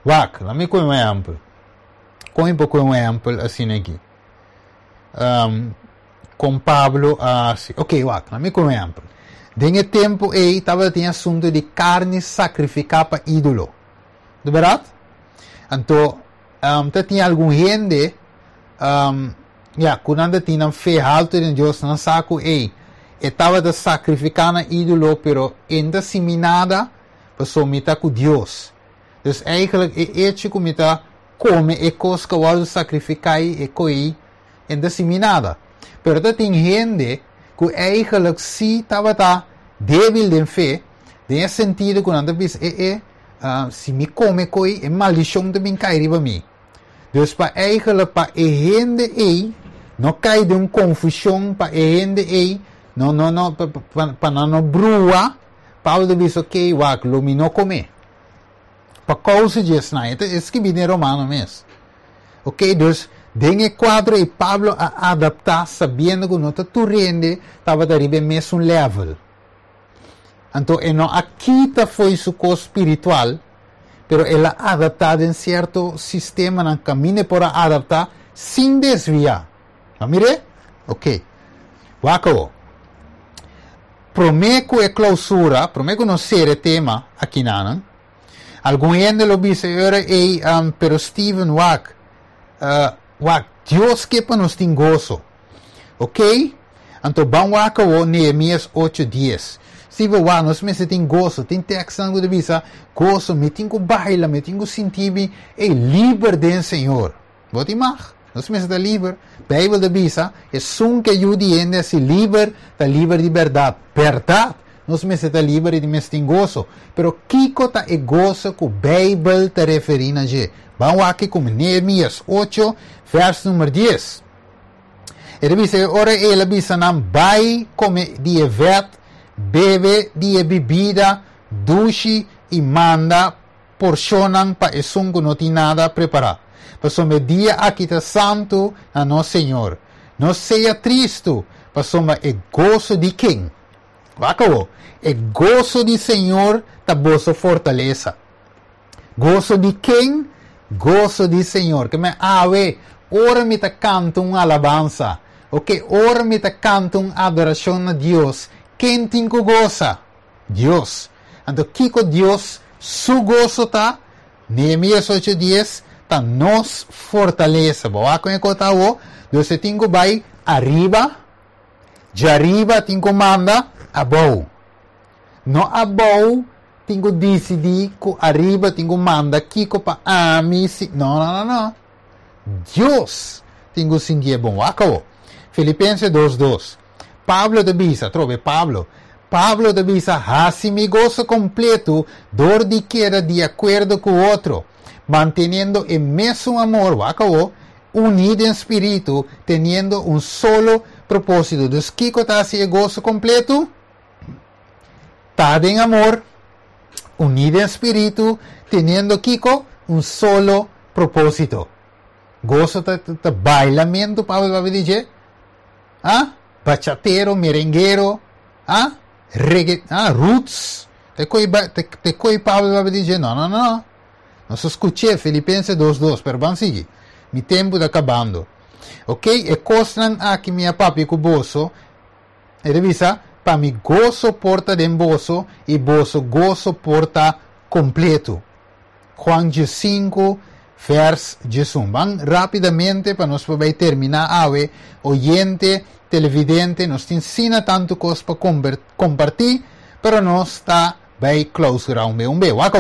Wak, laga mi ku un ehèmpel. Ku un poko un ehèmpel asina aki. Um, ku Pablo, asina. Ok, wak, laga mi ku un ehèmpel. Den e tempu ei tabatin asuntu di karni sakrifiká pa ídolo. Di berdat? Anto, um, tin algun hende, um, ja, ku nan tin fe haltu den Dios, nan sa ku ei, e tabata sakrifiká na ídolo, pero n' ta sinti nada, paso mi ta ku Dios. Dus eigenlijk e hecho ku mi ta Kome e kos ku a wòrdu sakrifiká e koi e n' ta sinti nada. Pero tin hende ku eigenlijk si tabata débil den fe, den sentido ku nan ta bisa, e e uh, si mi kome koi, e maldishon ta bin kai riba mi. Dus pa eigenlijk pa e hende ei no kai den un konfushon, pa e hende ei no no no pa, pa, pa no brua, Pablo bisa, "Ok, wak, lo mi no kome." Pa kousa di esei, e skibí den Romano mes. Ok, dus den e kuadro ei Pablo a adaptá sabiendo ku no ta tur hende tabata riba mesun level. Anto, e no a kita for di su kos spiritual, pero el a adaptá den sierto sistema na kaminda por adaptá sin desviá. Mira? Ok. Wak. Promé ku e klousura, promé ku nos sera tema aki nan. Algun hende lo bisa, ora ei, um, pero Steven, wak, uh, wak, Dios ke pa nos tin goso. Ok? Anto, ban wak o Nehemias ocho dies. Steven, wak, nos mester tin goso, tin teksto ku bisa, goso, mi tin ku baila, mi tin ku sinti ei liber den Señor. Bo tin mag? Nos mester ta liber. Beibel ta bisa, esun ku Yu di Hende hasi liber, ta liber di berdat. Berdat. Nos mester ta liber i mester tin goso. Pero kiko ta e goso ku Beibel ta referí na dje? Ban wak ku Nehemias ocho, vers number dies. E ta bisa, ora el a bisa nan, "Bai kome di e vèt, bebe di e bibida dushi i manda porshonnan pa esun ku no tin nada prepará. Pasobra e dia aki ta santu na nos Señor. No sea tristu, pasobra e goso di ken? Wak, e goso di Señor ta boso fortalesa." Goso di ken? Goso di Señor. Ke men awe, ora mi ta kanta un alabansa. Ok, ora mi ta kanta un adorashon na Dios. Ken tin ku gosa? Dios. Anto, kiko Dios su goso ta? Nehemias ocho dies, ta nos fortalesa. Bo a kon ta o? Dios tin ku bai ariba, di ariba tin ku manda abou. No abou tin ku disidí ku ariba tin ku manda kiko pa ami si. No, no, no, no. Dios tin ku sinti bon. Wak. Filipenses dos dos. Pablo ta bisa, trobe Pablo. Pablo ta bisa, "Hasi mi goso kompleto, dor di keda di akuerdo ku otro, manteniendo e mesun amor, wak, uní den spiritu, teniendo un solo propósito." Dus kiko ta hasi e goso kompleto? Ta den amor, uní den spiritu, teniendo kiko? Un solo propósito. Goso ta, ta, ta bailamentu, Pablo ta bisa? Ah? Bachatero, merenguero, ah? Reggae, ah, roots. Ta koi, ta koi Pablo ta bisa? No, no, no. Nos a skucha Filipenses dos dos, pero ban sigui. Mi tempu ta kabando. Ok? E kosnan aki mi a papia ku boso, e ta bisa, pa mi goso por ta den boso i boso goso por ta kompleto. Juan sinku, vers diesun. Ban rápidamente pa nos por terminá awe, oyente, televidente, nos tin asina tantu kos pa kompartí, pero nos ta bai klousurá un be un be. Wak.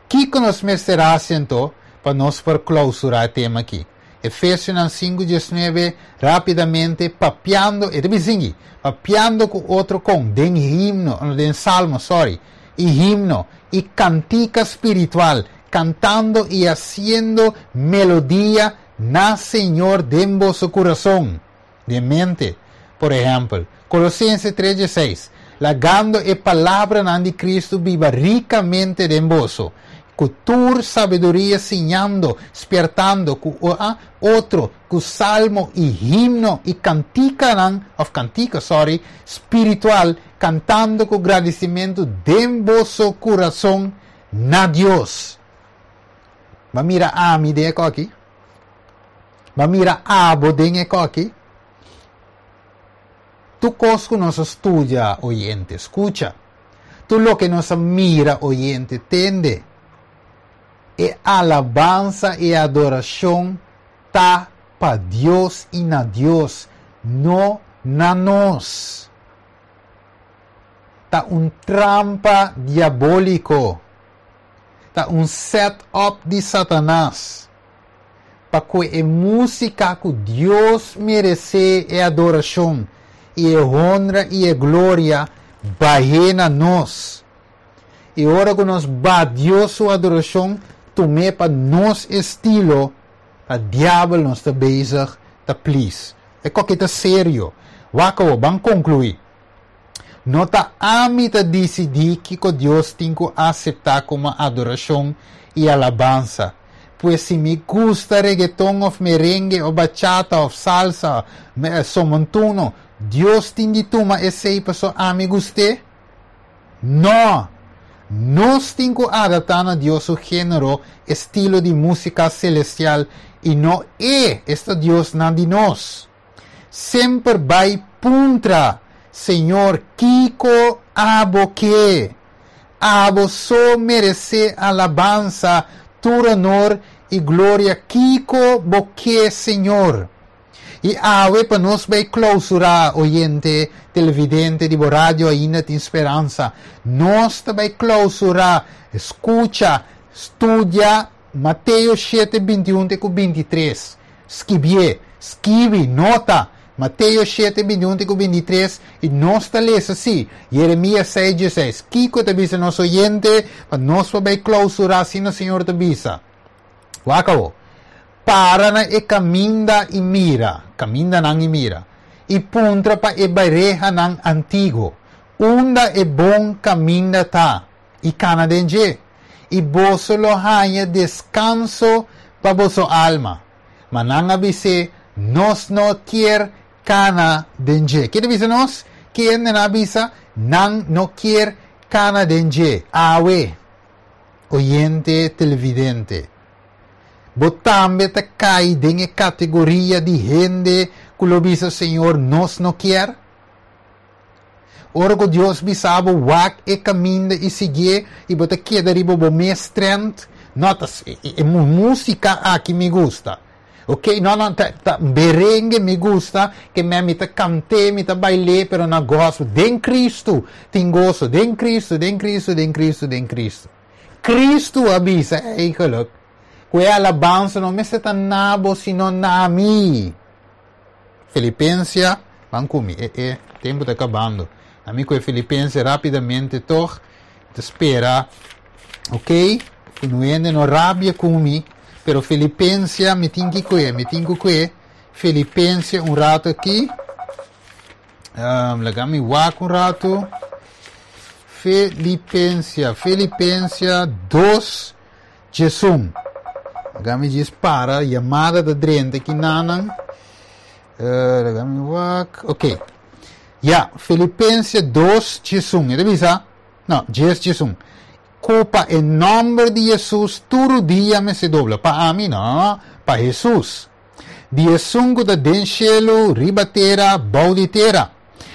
Kiko nos mester hasi pa nos por klousurá e tema aki? Efesionan sinku, diesnuebe, rápidamente, papiando, e tambe papiando ku otro kon, den himno, den salmo, sorry, i himno, i kantika spiritual, kantando i hasiendo melodia na Señor den boso kurason, di mente. Por ehèmpel, Kolosensenan tres, seis, lagando e palabra di Kristu biba rikamente den boso, ku tur sabiduria siñando, spièrtando, ku uh, otro, ku salmo i himno i kantika, òf kantika, sorry, spiritual, kantando ku gradisimentu den boso kurason na Dios. Ma mira ami den aki. Ma mira abo den aki. Tur kos ku nos a studia, oyente, skucha. Tur loke nos a mira, oyente, tende. E alabansa i adorashon ta pa Dios i na Dios, no na nos. Ta un trampa diabóliko. Ta un set-up di Satanas. Pa ku e músika ku Dios meresé e adorashon i e honra i e gloria bai na nos. I ora ku nos baha Dios su adorashon, tum'é pa nos estilo, ta diabel nos ta bezig ta please. E kos ta serio. Wak, ban konkluí. No ta ami ta disidí ku Dios tin ku aseptá komo adorashon i alabansa. Pues si mi gusta reggaeton òf merengue òf bachata òf salsa, son montuno, Dios tin di tuma esei paso ami gust'é? No. Nos tin ku adaptá na Dios su género, estilo di músika selestial i no e, esta Dios na di nos. Semper bai puntra: "Señor, kiko abo ke?" Abo so meresé alabansa, tur honor i gloria. Kiko bo ke, Señor? I awe pa nos bai klousurá, oyente, televidente di radio Ainda Tin Speransa. Nos ta bai klousurá, skucha, studia Mateo shete, bintiun te bintitres. Skirbi, skirbi, nota. Mateo shete, bintiun te bintitres i nos ta lesa asina. Jeremias seis, diesseis. Kiko ta bisa nos oyente, pa nos bai klousurá asina Señor ta bisa. Wak. Para na e kaminda i mira, kamindanan i mira. I puntra pa e berehanan antiguo. Unda e bon kaminda ta. I kana den dje. I boso lo haña deskanso pa boso alma. Ma nan a bisa: "Nos no ke kana den dje." Kiko bisa nos? Ken a bisa? Nan no ke kana den dje. Awe. Oyente, televidente. Bo tambe ta kai den kategoria di hende ku lo bisa: "Señor, nos no ke"? Ora ku Dios bisabo wak e kaminda i sigui i bo ta keda riba bo mes trend, no ta e, e, músika aki mi gusta. Ok, no, no, ta, ta, merengue mi gusta, ke mi mi ta kant'é, mi ta bail'é, pero na goso. Den Cristo, tin goso, den Cristo, den Cristo, den Cristo, den Cristo. Cristo a bisa, eigenlijk, ku e alabansa no mester ta na bo, sino na mi. Filipenses, ban ku mi, e, e, tempu ta kabando. Ami ku Filipenses rápidamente, toch, ta spera, ok? No no rabia ku mi, pero Filipenses, mi tin ku mi tin ku Filipenses un ratu aki. Um, laga mi wak un ratu. Filipenses, Filipenses dos, diesun. Laga mi djis para, yamada ta drenta aki nanan. Uh, laga mi wak. Ok. Ja, Filipenses dos, diesun. E ta bisa? No, dies, diesun. Ku pa e nòmber di Jesus tur rudia mester dobla. Pa ami, no, pa Jesus. Di esun ku ta den shelu, riba tera, bou di tera.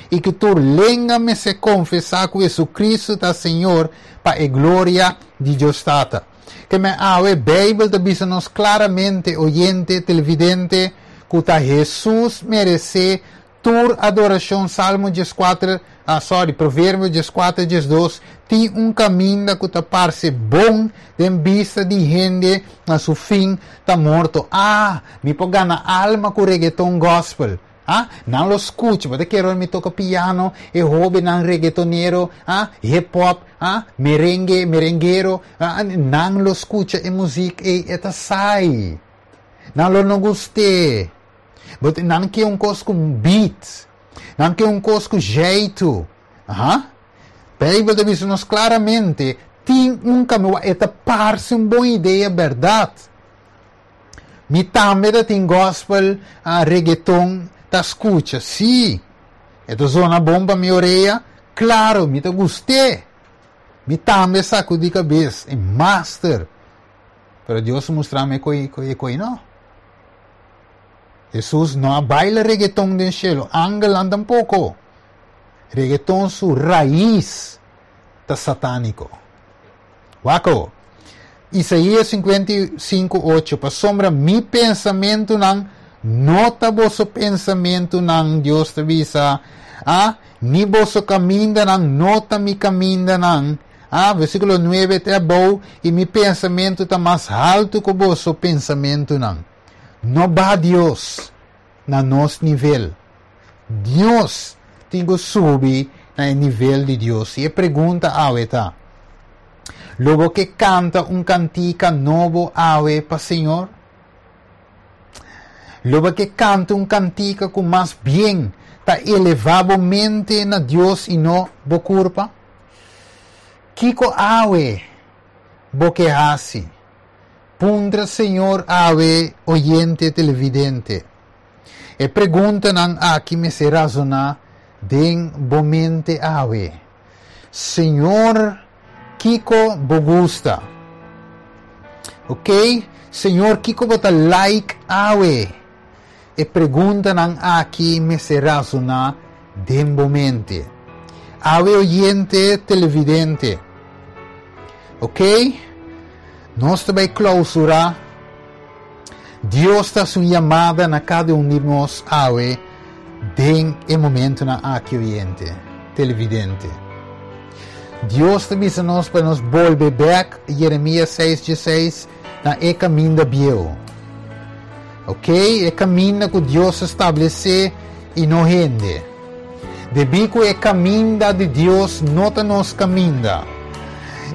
I ku tur lenga mester konfesá ku Jesu-Cristo ta Señor pa e gloria di Dios Tata. Ke men awe Beibel ta bisa nos klaramente, oyente, televidente, ku ta Jesus meresé tur adorashon. Salmo dieskuater, ah, sorry, Proverbio dieskuater, diesdos: tin un kaminda ku ta parse bon den bista di hende, na su fin ta morto. Ah, mi por gana alma ku reggaeton gospel. Ah, nan lo skucha, ma ke mi toka piano, e hóbennan reggaetonero, ah, hip hop, ah, merengue, merenguero, ah, nan lo skucha e músika e e ta sai. Nan lo no gust'é. But nan ke un kos ku beat. Nan ke un kos ku jeito. Aha. Beibel ta bisa nos klaramente, tin un kaminda, e ta parse un bon idea, bèrdat. Mi tambe tin gospel, a reggaeton, ta skucha, si. E ta zona bon pa mi orea, klaro, mi ta gust'é. Mi tambe sakudí kabes, e master. Pero Dios mustra mi koi, koi, koi, no. Jesus no a baila reggaeton den shelu, angel tampoko. Reggaeton su rais ta satániko. Wak. Isaías sinkuenta i sinku, ocho. Pasombra mi pensamentunan no ta boso pensamentunan, Dios ta bisa. Ah, ni boso kamindanan no ta mi kamindanan. Ah, versíkulo nuebe ta bon, i mi pensamentu ta mas haltu ku boso pensamentunan. No baha Dios na nos nivel. Dios tin ku subi na nivel di Dios. I e pregunta awe ta: Lo bo ke kanta un kantika nobo awe pa Señor? Lo bo ke kanta un kantika ku mas bien ta elevá bo mente na Dios i no bo kurpa? Kiko awe bo ke hasi? Puntra Señor awe, oyente televidente. E preguntanan aki mester resoná den bo mente awe. Señor, kiko bo gusta? Ok? Señor, kiko bo ta like awe? E preguntanan aki mester resoná den bo mente. Awe, oyente televidente. Ok? Nos ta bai klousurá. Dios ta hasi un yamada na kada un di nos awe den e momentunan aki, oyente televidente. Dios ta bisa nos pa nos bolbe bèk, Jeremias seis, seis, na e kaminda bieu. Ok? E kaminda ku Dios a establesé i no hende. Debí ku e kaminda di Dios no ta nos kaminda.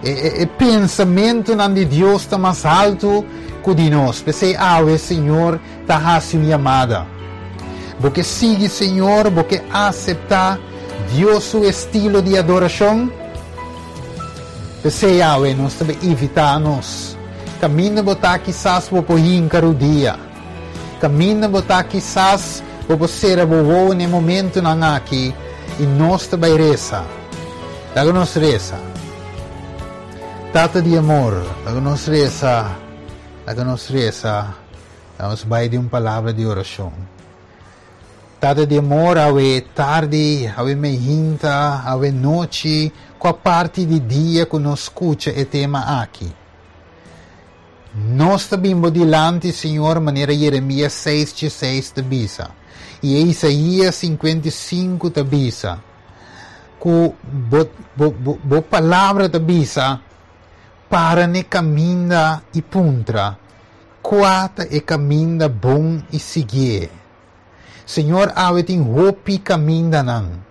E, e, e pensamentunan di Dios ta mas haltu ku di nos. P'esei awe, Señor ta hasi un yamada. Bo ke sigui Señor, bo ke aseptá Dios su estilo di adorashon. P'esei awe nos ta invitá nos. Kaminda bo ta, kisas bo por hinka rudia. Kaminda bo ta, kisas bo por sera bo wowo na e momentunan aki i nos ta bai resa. Laga nos resa. Tata di amor, laga nos resa. Laga nos resa. Nos bai den un palabra di orashon. Tata di amor, awe tardi, awe mainta, awe nochi, kua parti di dia ku nos skucha e tema aki. Nos ta bin bo dilanti, Señor, manera Jeremias seis, seis ta bisa. I Isaías sinkuenta i sinku ta bisa. Ku bo, bo, bo, bo palabra ta bisa, para na kaminda i puntra, kua ta e kaminda bon i sigui. Señor, awe tin hopi kamindanan.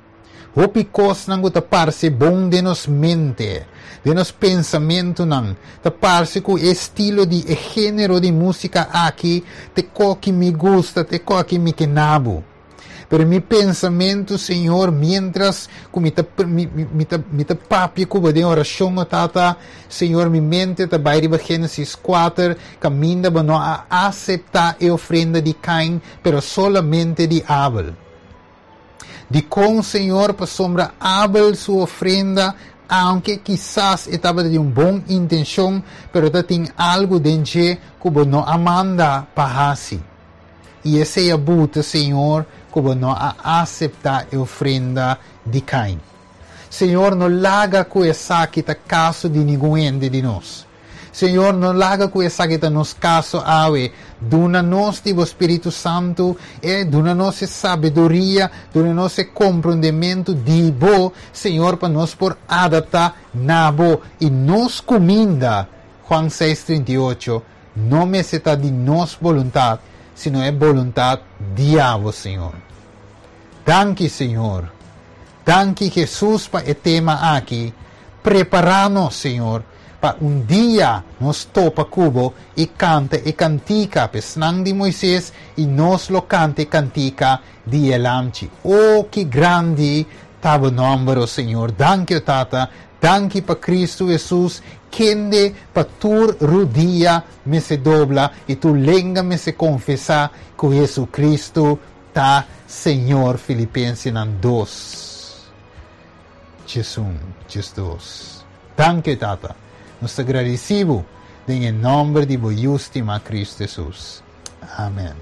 Hopi kosnan ku ta parse bon den nos mente, den nos pensamentunan. Ta parse ku estilo di e género di músika aki, ta kos ku mi gusta, ta kos ku mi ke nabo. Pero mi pensamentu, Señor, mientras ku mi ta mi mi ta mi ta papia ku den orashon, Tata, Señor, mi mente ta bai riba Génesis kuater, kaminda bo no a aseptá e ofrenda di Cain, pero solamente di Abel. Dikon, Señor? Pasombra Abel su ofrenda, aunke kisas tabata di un bon intenshon, pero tin algu den dje ku no a manda pa hasi. I esei a buta, Señor, ku no a aseptá e ofrenda di Cain. Señor, no laga ku esaki ta kaso di ningun hende di nos. Señor, no laga ku esaki ta nos kaso awe. Duna nos di Spiritu Santu, e duna nos sabiduria, duna nos komprondementu di bo, Señor, pa nos por adaptá na bo i nos kuminda. Juan seis, trinta i ocho, no mester ta di nos boluntat, sino e boluntat di abo, Señor. Danki, Señor. Danki, Jesus, pa e tema aki. Prepará nos, Señor, pa un dia nos topa ku bo i kanta e kantika pa esnan di Moises i nos lo kanta e kantika di e Lamchi. Oh, ki grandi ta bo nòmber, Señor. Danki, Tata. Danki pa Kristu Jesus, kende pa tur rudia mester dobla i tur lenga mester konfesá ku Jesu Kristu ta Señor. Filipensenan dos. Jesus, Jesus. Danki, Tata. Nos ta gradisí bo den nòmber di bo stimá Kristu Jesus. Amèn.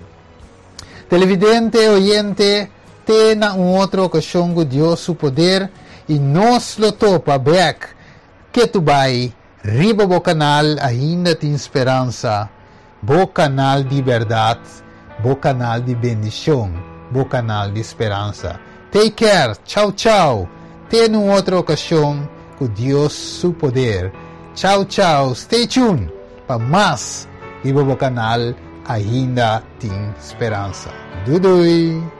Televidente, oyente, te na un otro okashon ku Dios su poder i nos lo topa bèk ketu bai riba bo kanal Ainda Tin Speransa, bo kanal di bèrdat, bo kanal di bendishon, bo kanal di speransa. Take care, chau chau. Te na un otro okashon. Ku Dios su poder. Chau, chau. Stay tuned pa mas riba bo kanal Ainda Tin Speransa. Doei doei.